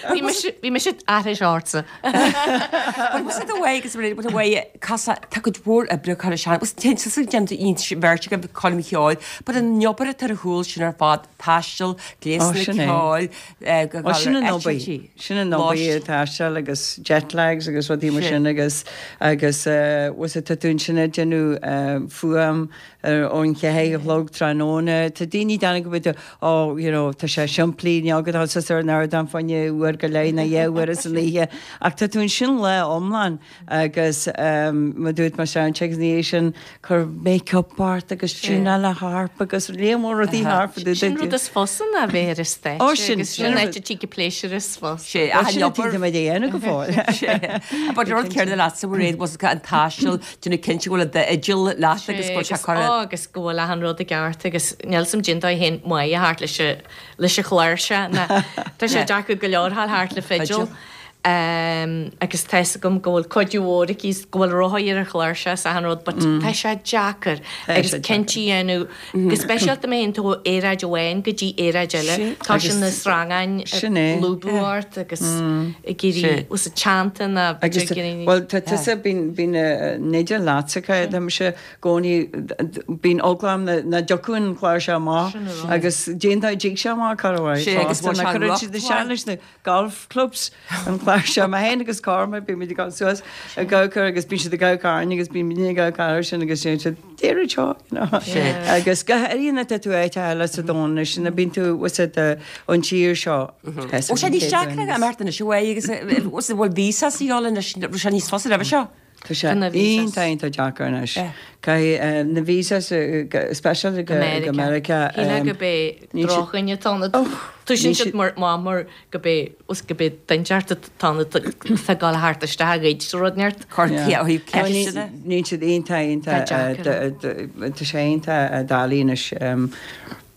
Bhí mise bhí mise aithris ortsa. But was it the way agus Mairéad, the way casa tá cuid mhór oibre curtha isteach was ten sa déanta bheirt go coilm cheoil, but an obair atá ar chúl sin ar fad taisteal, gléasanna sin é. ceoil, eh, go Ó sin an obair eitiltí. sin an obair taisteal agus jet lags agus rudaí mar Sin. sin agus agus eh, was it tá tú sin ag déanamh eh, fuaim ar ón cheathair a chlog tráthnóna Tá daoine dana go bhfuil ó you know tá sé simplí ní go tá ar an ardán fá choinne uair go leith na dhá uair san oíche ach tá tú sin le iomlán agus um, ma dúirt mar sound checks ní sin cur make-up ort agus tiúnáil le harp agus líon mór rudaí harp Sin rud is fusa ná bheith ar an stáitse Ó, sin- agus sin sin rud- áit a dtig pléisiúr is fusa. Sé, ach an sin obair- mé dhéanamh go fóill. But rud céanna leatsa Mairéad was an taisteal déanamh cinnte go bhfuil d'fhidil leat agus go bhfuil sé curtha Á, agus go bhfuil achan rud i gceart agus níl sam déanta féin maith thart leis an- leis an chláirseach ná tá sé deacair go leor thart thart le fidil. Fidil. Um, agus tá agam go bhfuil cuidiú mhór aici go bhfuil rotha ar an chláirseach is achan rud, but tá sé deacair Tá agus sé cinntí a dhéanamh go speisialta má théann tú ó aeráid amháin go dtí aeráid eile. Tá Agus sin na srangáin sin é. lúbadh ort agus ag iarraidh us a teannta na Agus well tá tusa bíonn bíonn néidir leatsacha tá sé gcónaí bíonn eagla orm na dtiocfadh an chláirseach amach agus déanta dtig sé amach Sé, agus bhfuil sé chuir siad rocht leis na golf clubs an chláirseach mé féin agus Cormac bhí muid ag dul suas ag gabhar agus bíonn siad ag gabhar agus bíonn muid ag gabhar sin agus sin siad déir seo you know. agus go háirithe tá tú áit eile sa domhan leis sin bíonn tú was it an tír seo. Ó sé níos deacra a Martin is uaidh agus was it bhfuil visa sí anois sé níos fusa roimhe seo. Tá sé Tá na visas. iontach iontach deacair anois. Caithfidh na visas special go go America. Shíl go bé níl siad- drochduine tá Oh, Tú sin níl siad siad- mar má mar go bé os go bé duinteart tá tá gáil thart isteach gcuid sa rud neart. Cur Yeah. ó thaobh No, ní- ceiste. Níl siad iontach iontach Tá deacair. tá sé iontach doiligh anois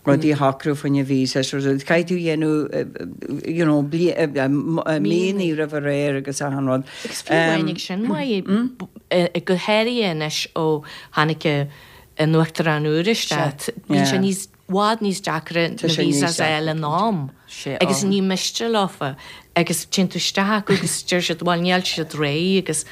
rudaí a shocrú fá choinne visas caithfidh tú dhéanamh you know míní roimh ré agus achan rud. Agus fiú amháin ag sin maith go háirithe anois ó tháinig an uachtarán úr isteach. Bíonn sé Yeah. níos bhfad níos deacra Tá na sé níos visas deacra. eile in am. Sé, Agus ó. ní miste leofa agus téann tú isteach agus deir siad bhfuil níl siad réidh agus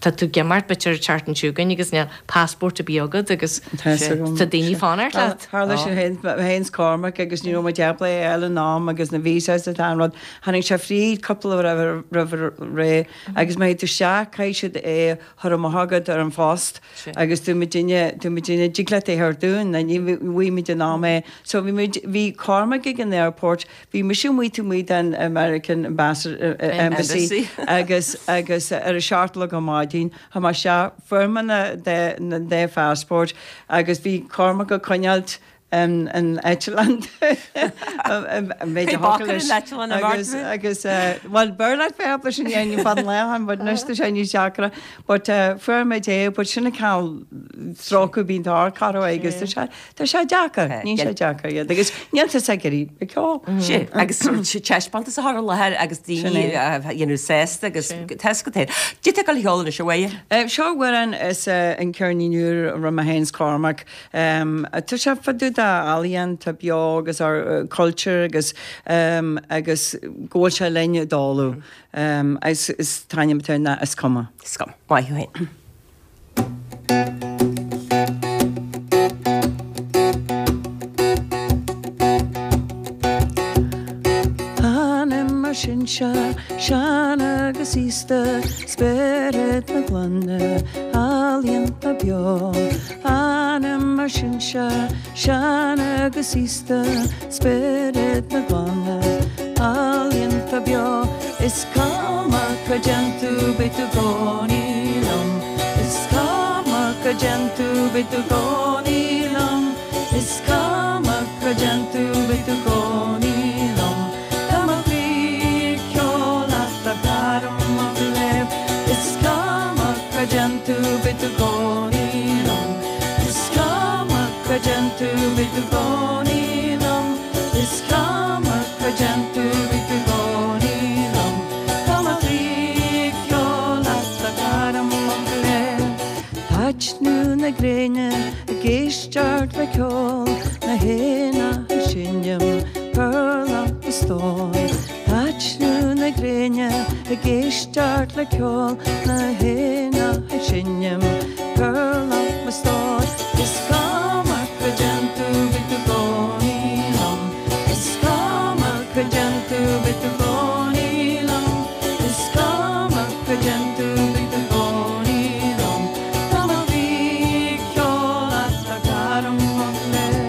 tá tú ag imeacht b'fhéidir teart chugainn agus níl passport a bí agat agus Tá tá daoine fanacht leat. Tharla sin féin Cormac agus ní raibh muid ábalta eile in am agus na visas atá an rud. Tháinig sé fríd cúpla roimh roimh ré agus má tú isteach caithfidh siad é chur amach agat ar an phost agus tú muid duine tú muid duine dtig leat é chur dúinn na ní bhí muid in am é. So bhí muid bhí Cormac ag an airport, bhí mise amuigh taobh amuigh den American Ambassador Embassy Embassy. agus agus ar a seacht a chlog ar maidin tha mar se foirmeanna de na de passport agus bhí Cormac ag coinneáilt an an eitleán Bhí bac ar an eitleán a agus Mhartin? agus well b'fhearr leat bheith leis an dhéanamh fan lehan, but anois tá sé níos deacra but fuair muid é but sin a ceal strócadh bíonn tar caro agus tá sé tá sé deacair ní sé deacair iad agus níl tá sé gurí ag ceol. Sé agus taispeántas a chur i láthair agus Sin daoine é. dhéanamh sásta agus tesco Dé go heola se bhaile? Seo amhrán is an ceirnín úr ru mé féin 's Cormac. Tá sé fá dtaobh d'ealaíon tá beo agus ár culture agus um, agus go bhfuil sé linn ag dálú. Um, is is t-ainm atá ná is cuma. Scum, maith thú féin. Anam ár sinsear, sean agus aosta, spiorad na clainne, ealaíonta beo. Anam ár sinsear, sean agus aosta, spiorad na clainne, ealaíonta beo. Is cuma cá dtéann tú beidh tú i gcónaí liom. Is cuma cá dtéann tú beidh tú i gcónaí liom. Is cuma cá dtéann tú beidh tú i gcónaí liom. Tá mo chroí ag ceol leat a ghairm mo léamh. Is cuma cá dtéann tú beidh tú i gcónaí liom. Is cuma cá dtéann tú beidh tú i gcónaí na gréine ag éisteacht le ceol na héan ag seinm Perla mo stór Taitneamh na gréine ag éisteacht le ceol na héan ag seinm Perla mo stór Is cuma cá dtéann tú beidh tú i gcónaí liom Is cuma cá dtéann tú beidh tú i gcónaí liom Is cuma cá dtéann tú beidh tú i gcónaí liom Tá mo chroí ag ceol leat a chara mo chléir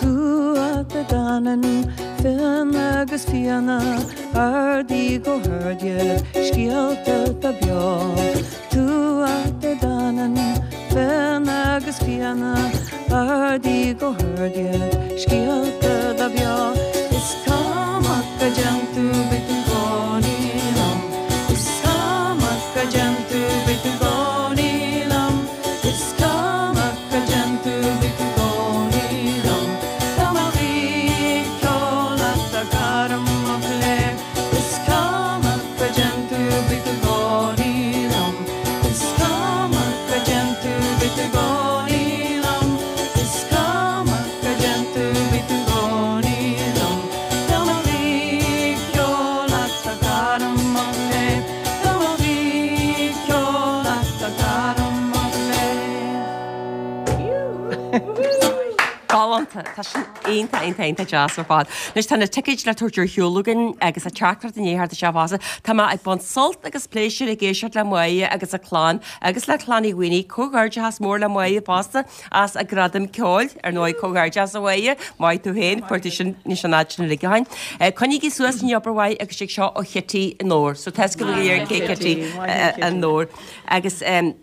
Tuatha Dé Danann Fionn agus Fianna ardaí go hard iad scéalta atá beo Tuatha Dé Danann Fionn agus Fianna ardaí go hard iad scéalta atá beo Is cuma cá dtéann tú beidh tú i gcónaí liom Is cuma cá dtéann tú beidh tú i gcónaí liom Is cuma cá dtéann tú beidh tú i gcónaí liom Tá mo chroí ag ceol leat a chara mo chléir Is cuma cá dtéann tú beidh tú i gcónaí liom Is cuma cá dtéann tú beidh tú i gcónaí liom Is cuma cá dtéann tú beidh tú i gcónaí liom Tá mo chroí ag ceol leat a chara mo chléir Tá mo chroí ag ceol leat a chara mo chléir Galánta Tá sin iontach iontach iontach deas ar fad. Anois tá na ticéid le tabhairt ar shiúl againn agus a teachtaireacht inné thart sé fása. Tá mé ag baint sult agus pléisiúr ag éisteacht le Máire agus a clann agus le Clann Uí Mhaonaigh comhghairdeachas mór le Máire fosta as a gradam ceoil ar ndóigh comhghairdeachas a Mháire, maith tú féin fuair tú sin níos an áit sin ligeáin. Coinnígí suas an obair mhaith agus sé seo ó Chití an Nór, so tá go léir cé Kitty an Nór agus um,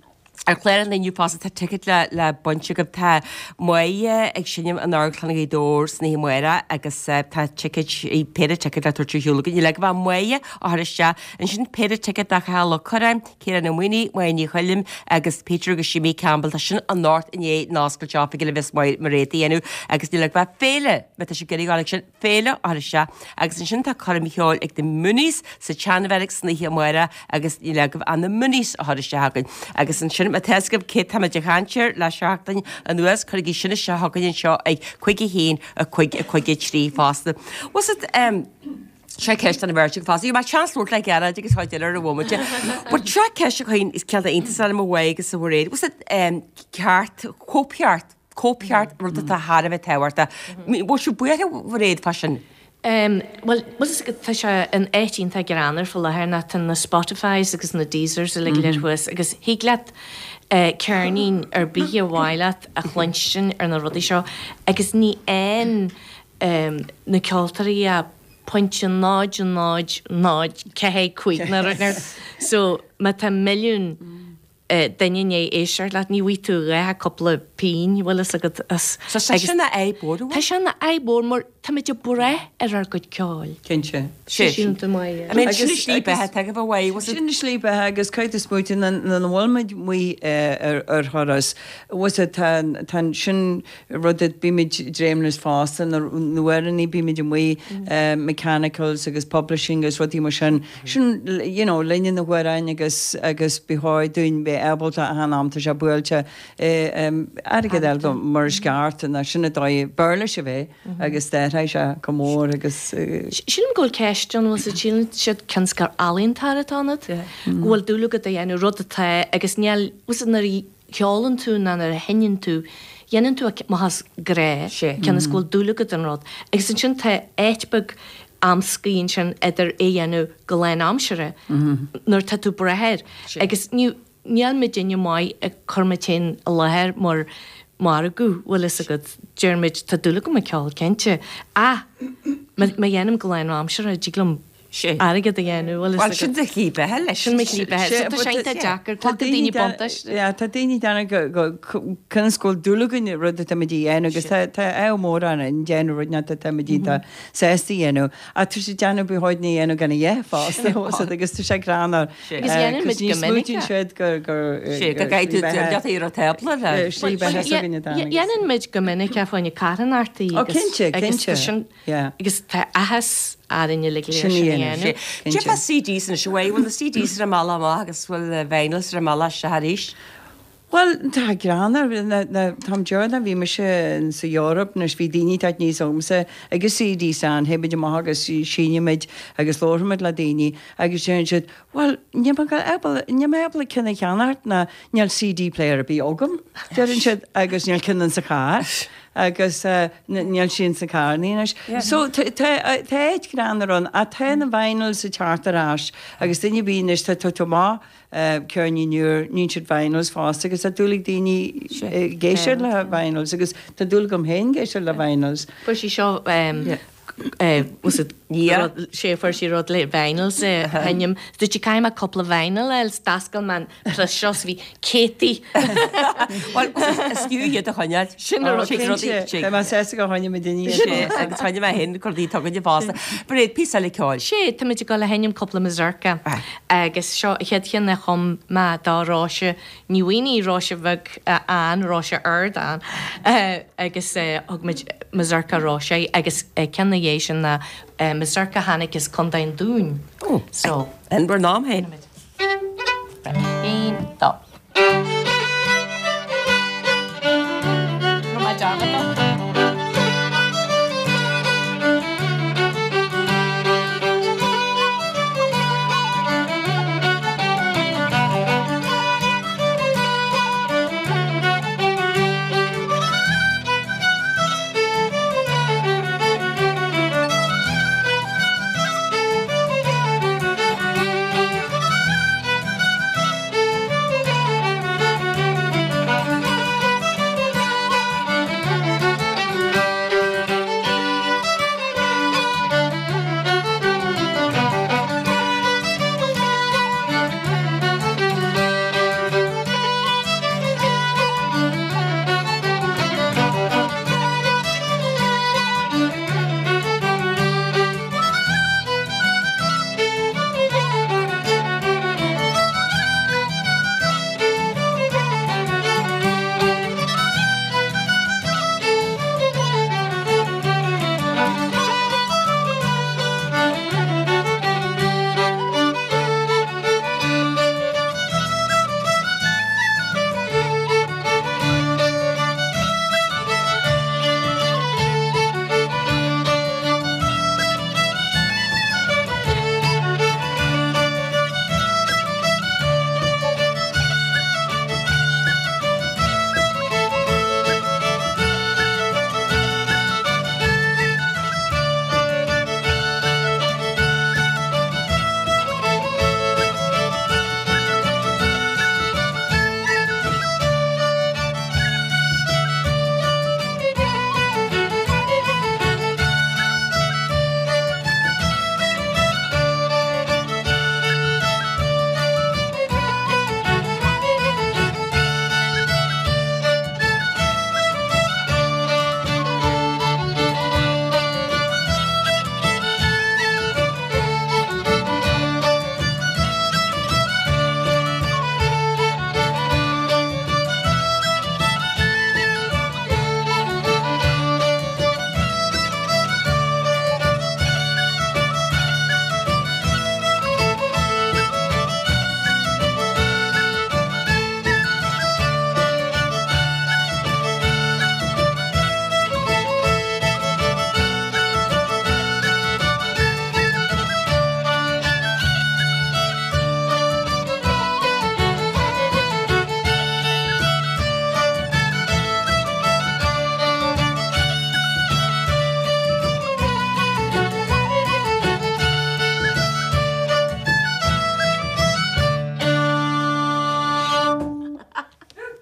Ar chlár an inniu fosta tá ticéid le le baint agaibh tá Máire ag seinm in Amharclann Ghaoth Dobhair san oíche amárach agus tá ticéid péire ticéad le tabhairt ar shiúl againn. Le go bheith Máire a chur isteach ansin péire ticéad do Chathal Ó Curráin, Ciarán Ó Maonaigh, Máire Ní Choilm agus Peter agus Jimmy Campbell tá sin anocht i ndiaidh an oscailt oifige le bheith Mairéad a dhéanamh agus ní le go bheith féile me tá sé ag sin féile a chur isteach agus ansin tá coirm cheoil ag the Moonies sa tSeanbheairic san oíche amárach agus ní le go bheith an na Moonies a chur isteach againn agus ansin má tá a fhios agaibh cé tá muid ag caint air le seachtain anuas chuirigí sin isteach chugainn anseo ag cúig a haon a cúig a cúig a trí fosta. Was it um, Seo ceist an bheirt fosta. Bhí seans labhairt le Gearóid agus chuid eile ar an bhomaite. But seo ceist a chuin is ceann iontach eile mo mhaith agus a Mhairéad. Was it um, ceart, cóipcheart, cóipcheart rud atá thar a bheith tábhachtach. Bhfuil sibh buartha Mhairéad fá sin? Um, well, was tá sé an áit iontach greannmhar faoi láthair ná tá na Spotifys agus na Deezers uilig go léir thuas agus thig leat uh, ceirnín ar bith ar mhaith leat a chluinstin ar na rudaí seo agus ní aon um, na ceoltóirí a pointe náid náid náid ceathair cúig na rud so má tá milliún uh, duine ag éisteacht leat ní bhfaighidh tú ach cúpla pingin bhfuil a fhios agat as So sé sin a fhadhb Tá sin ina fhadhb mhór mar táimid ag brath ar ár gcuid ceoil. Cinnte. Sin tú maith. I mean, sin slí beatha tá go bhfuil was it Sin slí beatha agus cuid is smúte na bhfuilmuid mu ar ar thuras was it tá tá sin rud a bímid dréimlis fosta na nuairní bímid amuigh mechanicals agus publishing agus rudaí mar sin sin you know linne na hamhráin agus agus b'fhearr dúinn bheith ábalta a han am tá sé buailte airgead eile do mar is ceart na sin a dóigh Béarla a bheith agus d'athraigh sé go mór agus Sílim go bhfuil ceist ann bhfuil síleann siad cionn is gur ealaíontóir atá ionat, go bhfuil dúil agat a dhéanamh rud atá agus níl bhfuil nuair a cheolann tú ná nuair a sheinneann tú, dhéanann tú maitheas grá cionn is go bhfuil dúil agat an rud. Agus ansin tá áit beag amscaí ansin idir é dhéanamh go lánaimseartha nuair tá tú brath air. Agus ní níl muidinne maith ag cur muid féin i láthair mar margadh bhfuil fhios agat deir muid tá dúil agam i gceol cinnte. Ach má má dhéanaim go lánaimseartha dtig liom airgead a dhéanamh bhfuil Well sin do shlí beatha leis. Sin mo shlí beatha. So tá sé iontach deacair, glacann daoine buntáiste. Yeah, tá daoine déanamh go go conas go bhfuil dúil againn i rud atá muid a dhéanamh agus tá tá ádh mór orainn an déanamh rud atá tá muid iontach sásta a dhéanamh. Ach tá sé déanamh bí háid na dhéanamh gan a dhéanamh fosta agus tá sé greannmhar. Agus dhéanann muid go minic Smaoitíonn siad gur gur Sé go gcaithfidh tú leat ar an tábla le. Slí beatha s'againne Dhéanann Dhéanann muid go minic é fá choinne carthanachtaí Ó, cinnte, cinnte. Yeah. Agus tá áthas orainn uilig le Sin sin a a dhéanamh. dhéanamh. Cé fá CDs anois bhfuil bhfuil na CDs ar an mbealach amach agus bhfuil vinyls ar an mbealach isteach arís? Well tá greannmhar Táim dearna bhí mise sa Eoraip anois bhí daoine tá níos ómsa agus CDs ann théimid amach agus seinnimid agus labhraímid le daoine agus deireann siad well níl mé ábalta níl mé ábalta ceann a cheannacht ná níl CD player ar bith agam deireann siad agus níl ceann sa charr agus uh, níl sin sa charr anois. So tá áit greannmhar ann a tá na vinyls ag teacht ar ais agus duine bí anois tá tá maith ceirníní nua níonn siad vinyls fosta agus tá dúil ag daoine ag éisteacht le vinyls agus tá dúil agam féin éisteacht le vinyls. Fuair sí seo was it sé fuair sí rud le vinyls sheinm Dúirt sí caithfidh mé cúpla vinyl eil d'oscail mé an press seo bhí céadtaí. Well is fiú iad a choinneáil. Sin a rud Tá mé sásta go choinnigh mé daoine. Sé agus choinnigh mé féin rudaí tugainne fosta. Bréid píosa eile ceoil. Sé tá muid ag dul a sheinm cúpla mazurka agus seo a chéad cheann a chum mé do Róise Ní Mhaonaigh Róise bheag an Róise Ard an agus thug muid mazurka Róise agus ceann na dhiaidh sin ná mazurka tháinig as Contae an Dúin. So An bhur nám féin. Aon dó. Rinne mé dearmad dó. Thank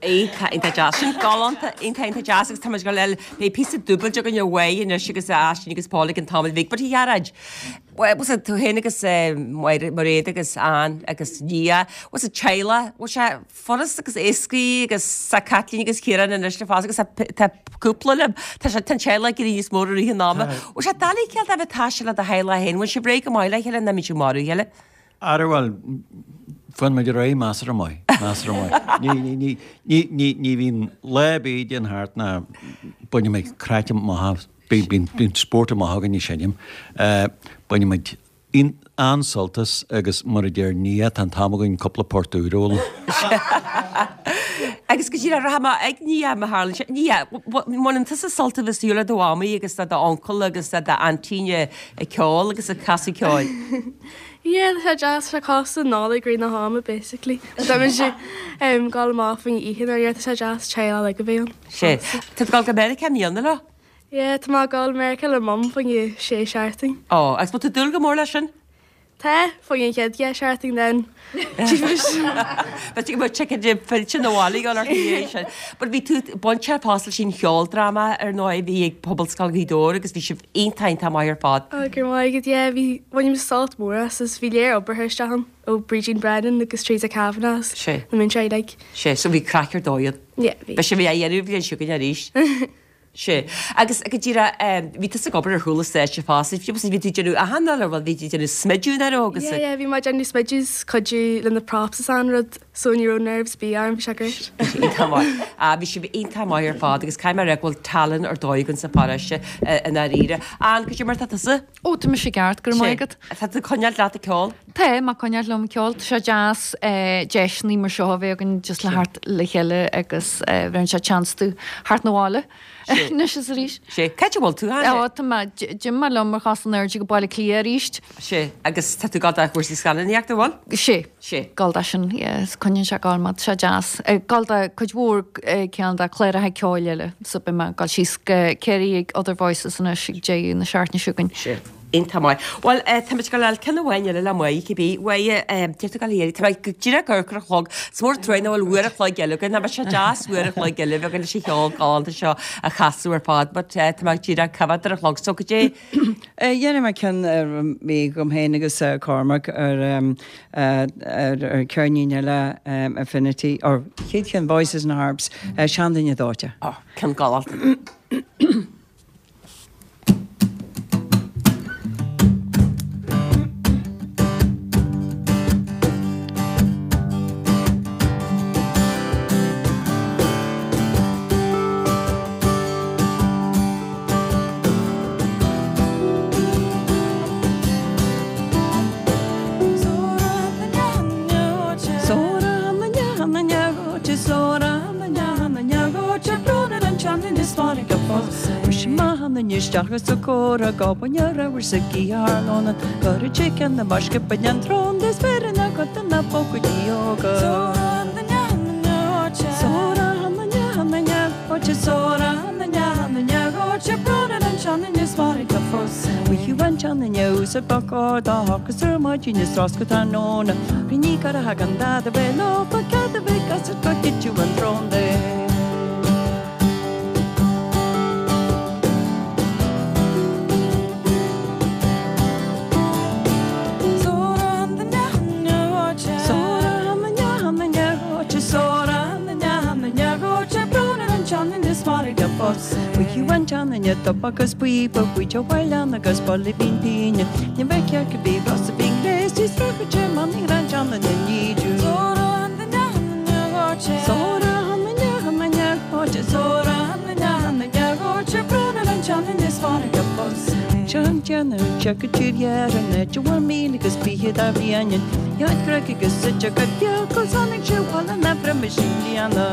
Iontach iontach deas. Sin galánta iontach iontach deas agus tá muid ag dul beidh píosa dúbailte againn ar mhaith anois agus Aisling agus Paul ag an tamall bhig, but a Ghearóid, was it tú féin agus Mairéad agus Ann agus Nia, was it teaghlach, bhfuil sé furast agus éascaí agus sa Caitlín agus Ciarán anois le fás agus tá cúpla libh, tá sé tá an teaghlach ag éirí níos mó i rith an ama. Bhfuil sé doiligh cineál de bheith ag taisteal le do theaghlach féin, bhfuil sibh réidh go maith le chéile nó mbíonn sibh ag marú a chéile? Ara bhuel, fanann muid ar aghaidh measartha maith, measartha maith. Ní, ní, ní, ní, ní, ní bhíonn lá ar bith a dtéann thart ná baineann muid craic amach as, bíonn, bíonn, bíonn spórt amach againn ag seinm. Baineann muid an-sult as agus mar a deir Nia, tá an t-am againn cúpla port úr a fhoghlaim. Agus go díreach, rachaidh mé ag Nia má tharlaíonn sé. Nia, mbaineann tusa sult as a bheith ag siúl le do mhamaí agus le d'uncail agus le d'aintín ag ceol agus ag casadh ceoil? Yeah, tá sé deas, tá sé cosúil le Nollaig i rith na hama basically. Tá muid ag dul amach faoin oíche nuair a tá sé deas teaghlach uilig a bheith ann. Sé. Tá tú ag dul go Meiriceá i mbliana leo? Yeah, tá mé ag dul Meiriceá le Mum fá choinne sé seachtain. Ó, agus bhfuil tú ag dúil go mór leis sin? Tá, fá choinne an chéad dhá seachtain then. Beidh tú ag ticket fillte na bhaile ag dul ort ina dhiaidh sin. But bhí tú bainteach fosta leis an cheoldráma ar ndóigh, bhí ag Pobalscoil Ghaoth Dobhair agus bhí sibh iontach iontach maith ar fad. Ó, go raibh maith agat, yeah, bhí, bhain muid sult mór as is bhí léir obair isteach ann ó Brídín Brennan agus Teresa Kavanagh is Sé. na múinteoirí uilig. Sé, so bhí craic ar dóigh ann. Yeah, bhí. Beidh sibh á dhéanamh an bhliain seo chugainn arís. Sea. Agus go díreach, bhí tusa ag obair ar chúl an stáitse fosta, fiú agus bhí tú ag déanamh achan rud, bhuel bhí tú ag déanamh smideadh nach raibh agus. Yeah, yeah, bhí mé ag déanamh smideadh is cuidiú le na props is an rud so ní raibh nerves ar bith orm, bhí sé great. Iontach maith. Ah, bhí sibh iontach maith ar fad agus caithfidh mé a rá go bhfuil tallann ar dóigh againn sa pharóiste i ndáiríre. Ann, cad é mar atá tusa? Ó, tá mise i gceart, go raibh maith agat. Tá tú ag coinneáil leat ag ceol? Tá mé ag coinneáil liom ag ceol. Tá sé deas deiseanna mar seo a bheith againn just le theacht le chéile agus bheireann sé chance domh theacht 'na bhaile anois is arís. Sé. Cá háit a bhfuil tú, Anne? Ó, tá mé, d'imigh mé liom ar chos in airde go Baile Átha Cliath arís. Sé. Agus tá tú ag gabháil do chúrsaí scannánaíochta, an bhfuil? Sé. Sé. Ag gabháil do sin, yeah, is coinníonn sé ag gabháil mé, tá sé deas. Ag gabháil do cuid mhór cineál de cláracha ceoil eile, so beidh mé ag gabháil síos go Ciarraí ag Other Voices anois ag deireadh na seachtaine seo chugainn. Sé. Iontach maith. Bhuel, tá muid ag gabháil a fháil ceann amháin eile le Máire cibé. Mháire, céard tá ag gabháil a iarraidh? Tá mé go díreach ag amharc ar an chlog. Is mór an trua nach bhfuil uair a chloig eile againn. Nach mbeadh sé deas uair a chloig eile a bheith againn leis an cheol galánta seo a chasadh ar fad. But tá mé díreach ag coimhéad ar an chlog. So cad é? Dhéanfaidh mé ceann ar mé agam féin agus Cormac ar ar ceirnín eile Affinity, or chéad cheann Voices and Harps, Seanduine Dóite. Oh, ceann galánta. Isteach sa córa gábaine raibh sa gcearlóna Go chicken na maisce ba an trón is féar na go na pócaidí óga. Sa bacá dá agus ar maidin is rás go tráthnóna. Bhí ní gar a thagann dad a bheith leo, ba cead a bheith as go dtiteadh an tsrón de. Agus píopa buí bhailean agus baile bín píne, Ní bheith cearc a bhí ros a bhí léis tí srachaide man ní ran teanna na nídiú. Míle agus fiche dá bhliain, Jaid greg agus suite go beag go tháinig sé bhaile na breime sin bliana.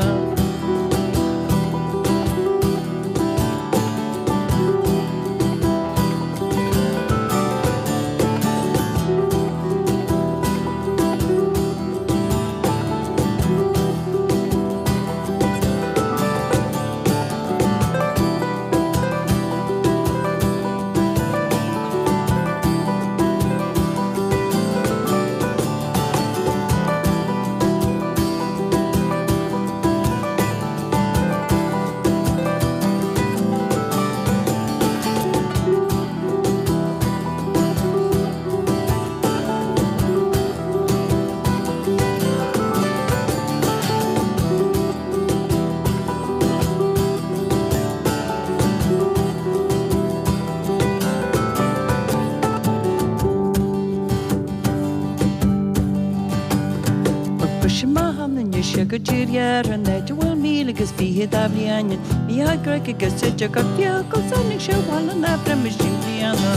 Sin maith an anois go dtír ar an áit a bhfuil míle agus fiche de bhliain Ní haghraic agus idir go fiacail sannaigh sé bhfuil an aifreann is sin bliana.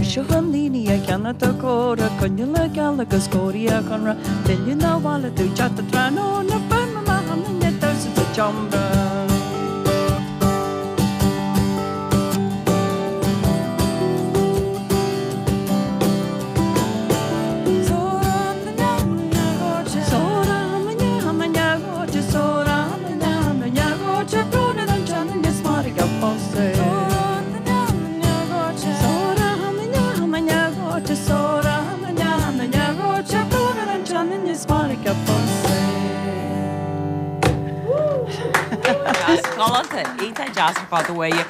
Seo an líní a cheanna do chóra coinne geal agus cóirí a chonra Filleadh na bhaile tú teacht tráthnóna feidhm amach an damhsa sa tseomra. Galánta, iontach deas ar fad uaidh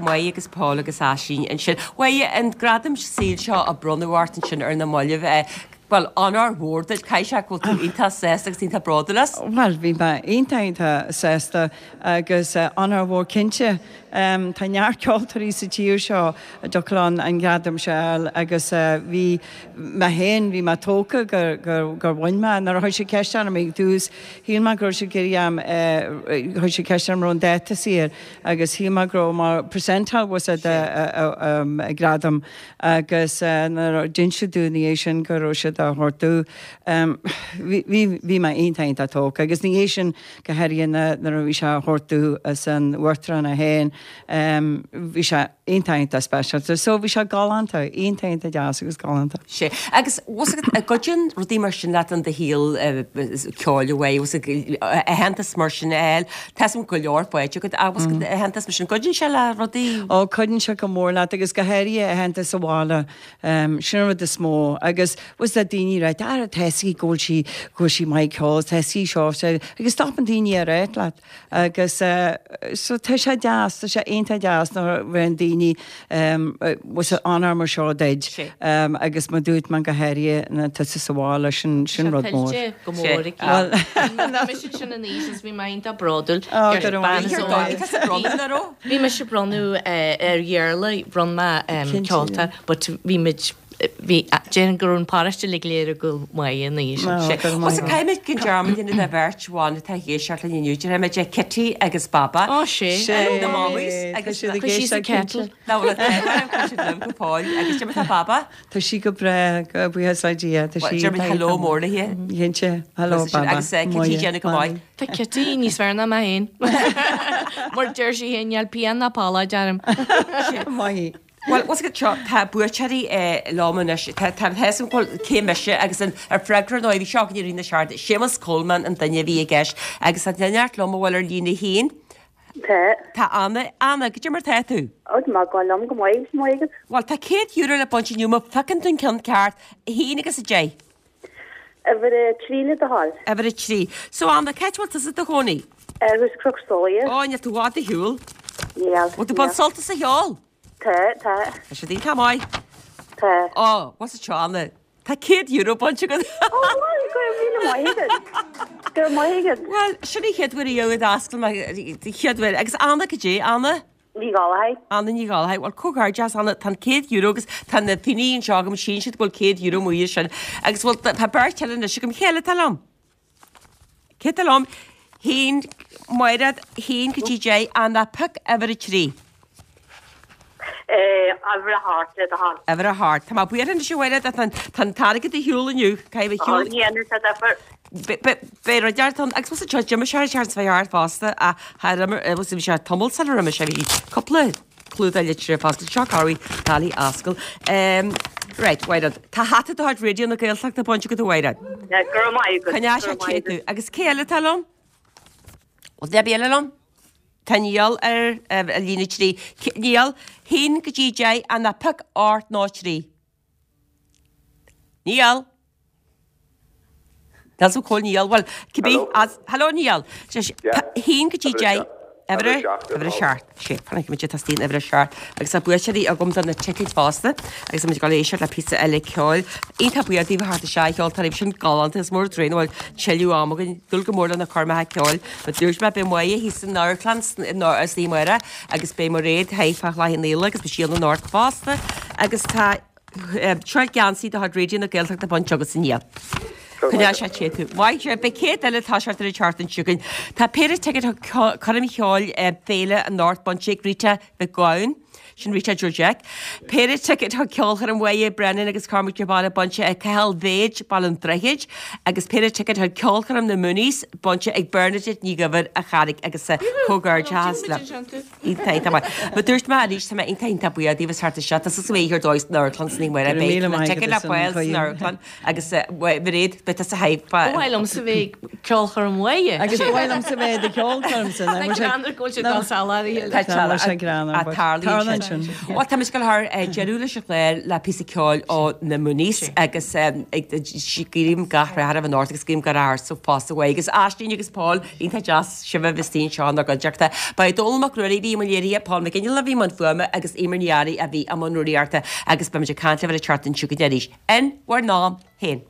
Máire agus Paul agus Aisling ansin. Uaidh an gradam saoil seo a bronnadh ort ansin ar na mallaibh, bhuel, onóir mhór duit, caithfidh sé go bhfuil tú iontach sásta agus iontach bródúil as. Bhuel, bhí mé iontach iontach sásta agus onóir mhór cinnte. Tá neart ceoltóirí sa tír seo a dtiocfadh leo an gradam seo a fháil agus bhí mé féin, bhí mé tógtha gur gur gur bhain mé. Nuair a chuir siad ceist orm ag tús, shíl mé go raibh siad ag iarraidh chuir siad ceist orm raibh an dáta saor agus shíl mé go raibh mar percentile was it gradam agus nuair a d'inis siad domh ina dhiaidh sin go raibh siad á thabhairt domh, bhí bhí bhí mé iontach iontach tógtha agus ina dhiaidh sin go háirithe nuair a bhí sé á thabhairt domh as an Uachtarán é féin, bhí sé iontach iontach speisialta. So bhí sé galánta, iontach iontach deas agus galánta. Sea. Agus bhfuil fhios agat, an gcuidíonn rudaí mar sin leat in do shaol ceoil a bhfuil fhios agat, aitheantas mar sin a fháil, tá fhios agam go leor faighte agat ach bhfuil fhios agat aitheantas mar sin, cuidíonn sé le rudaí? Ó, cuidíonn sé go mór leat agus go háirithe aitheantas sa bhaile, sin an rud is mó. Agus bhfuil fhios agat daoine ag ráit, ah, tá fhios aici go bhfuil sí, go bhfuil sí maith ag ceol, tá fhios aici seo, agus stopann daoine a ráit leat. Agus so tá sé deas, tá sé iontach deas nuair a bhíonn daoine bhfuil fhios agat onóir mar seo duit agus mar dúirt mé go háirithe na tusa sa bhaile sin sin rud mór. Tá tuillte go mór aici. Bhí mise ansin in aois is bhí mé iontach bródúil. Ó go raibh maith agat. Bhí mise ag bronnadh ar Iarla, bhronn mé ceolta but bhí muid Bhí, déarfainn go raibh an paróiste uilig léir ag gabháil maith ina dhiaidh sin. Sé. Bhuel, so caithfidh muid gan dearmad a dhéanamh de bheirt bhan atá ag éisteacht linn inniu. Déarfaidh muid Kitty agus Baba. Ó, sé. Sé. Na mamas agus Tá siad ag Chuir sí sa éisteacht cinnte. kettle. Ná bhfuil an t-ádh orm, chuir siad liom go fóill. Agus cad é mar tá Baba? Tá sí go breá, go buíochas le Dia. Tá Bhuel, sí déarfaidh muid hello mór léi. Cinnte. Hello, Baba. Agus Kitty déanamh go maith. Tá Kitty níos fearr ná mé féin. Mar deir sí féin, níl pian ná pallóid orm. Maith. Bhuel, bhfuil fhios agat seo, tá buaiteoirí liom anois. Tá tá fhios agam go bhfuil cé mise agus an ar freagra nó bhí seo againn i rith na seachtaine. Séamus Coleman an duine a bhí i gceist agus tá duine liom a bhfuil ar líne a haon. Tá. Tá Anna, Anna, cad é mar tá tú? Ó, tá mé ag gabháil liom go maith, is maith agat. Bhuel, tá céad euro le baint inniu má phiocann tú an ceann ceart, a haon agus a deich. Uimhir a trí le do thoil. Uimhir a trí. So Anna, cá háit a bhfuil tusa i do chónaí? Thuas i Cnoc Solia. Ó, níl tú i bhfad ar shiúl. Níl. Bhfuil tú ag baint sult as an cheol? Tá, tá. Tá siad iontach maith. Tá. Ó, what's it seo, Anna? Tá céad euro bainte agat. Ó, bhuel, go raibh míle maith agat. Go raibh maith agat. Bhuel, sin í chéad uair riamh a d'oscail mé, chéad uair. Agus Anna, cad é, Anna? Ní Ghallchóir. Anna Ní Ghallchóir. Bhuel, comhghairdeas, Anna, tá an céad euro agus tá na pingin anseo agam, síleann siad go bhfuil céad euro amuigh ansin. Agus bhuel, tá beirt eile anois agam. Cé eile atá liom? Cé atá liom? Haon, Máiréad, haon go dtí deich, Anna, pioc uimhir a trí. Uimhir a hocht le do thoil. Uimhir a hocht. Tá mé buartha anois a Mháiréad, tá tá an t-airgead ar shiúl inniu. Caithfidh a shiúl. Ní dhéanfaidh sé difear. Beidh rud ort ann. Agus bhfuil sé d'imigh sé ar an bhfear fosta ach thar imir, bhfuil sé tamall sular imigh sé, bhí cúpla clúdach litreach fosta. Seo corraí Tally Ascaill. Right, Mháiréad, tá hata de chuid Raidió na Gaeltachta bainte agat a Mháiréad. Go raibh maith agat. Coinneoidh sé te tú. Agus cé eile atá liom? Bhfuil duine eile liom? Tá Niall ar líne trí. Niall, haon go dtí deich, Anna, pioc ocht nó trí. Niall! Níl sa cóil Niall, bhuel, cibé, as, hello Niall. Haon go dtí deich, Uimhir a seacht. Sé, fanfaidh muid ag tastáil uimhir a seacht. Agus tá buaiteoirí agam do na ticéid fosta agus tá muid ag dul éisteacht le píosa eile ceoil. Iontach buíoch daoibh a theacht isteach, a cheoltóirí, bhí sin galánta, is mór draoi nach bhfuil tuilleadh ama againn dul go mór le na coirmeacha ceoil. Mar dúirt mé, beidh Máire thíos san amharclann sna Naomh Muire agus beidh Mairéad thigh fá Chloich Cheann Fhaola agus beidh sí ann anocht fosta agus tá seo geansaí de chuid Raidió na Gaeltachta bainte agat inniu. Coinneoidh sé te tú. Maith sibh. Beidh céad eile toiseacht ar an tseachtain seo chugainn. Tá péire ticéad chuig coirm cheoil féile anocht bainte ag Rita Mhic Gabhann. Sin Rita Joe Jack. Péire ticéad chuig ceolchoirm Mháire Brennan agus Cormac de Barra bainte ag Cathal Bhéid, Baile an Droichid, agus péire ticéad chuig ceolchoirm na Mooneys bainte ag Bernadette Ní Dhuibhir a Charraig agus comhghairdeachas le. Iontach, iontach maith. Mar dúirt mé arís, tá mé iontach, iontach buíoch daoibh as theacht isteach. Tá suas go dóigh san amharclann sna Naomh Muire. Beidh na ticéid le fáil san amharclann agus Mairéad, beidh tusa thigh. Ba mhaith liomsa bheith ag ceolchoirm Mháire. Agus ba mhaith liomsa bheith ag ceolchoirm sin. Tá greannmhar go bhfuil sé dul saláirithe. Tá tarlaíonn sin. Bhuel, tá muid ag dul thar deireadh leis an chlár le píosa ceoil ó na Mooneys agus guím gach rath oraibh anocht agus guím gach rath ortsa fosta uaidh. Agus Aisling agus Paul, iontach deas sibh a bheith istigh anseo inár gcuideachta. Ba é Dónall Mac Ruairí a bhí i mbun léirithe, Paul McGinley a bhí i mbun fuaime agus Eimear Ní Fhearraigh a bhí i mbun rúnaíochta agus beimid ag caint libh ar an tseachtain seo chugainn arís. In bhur n-am féin.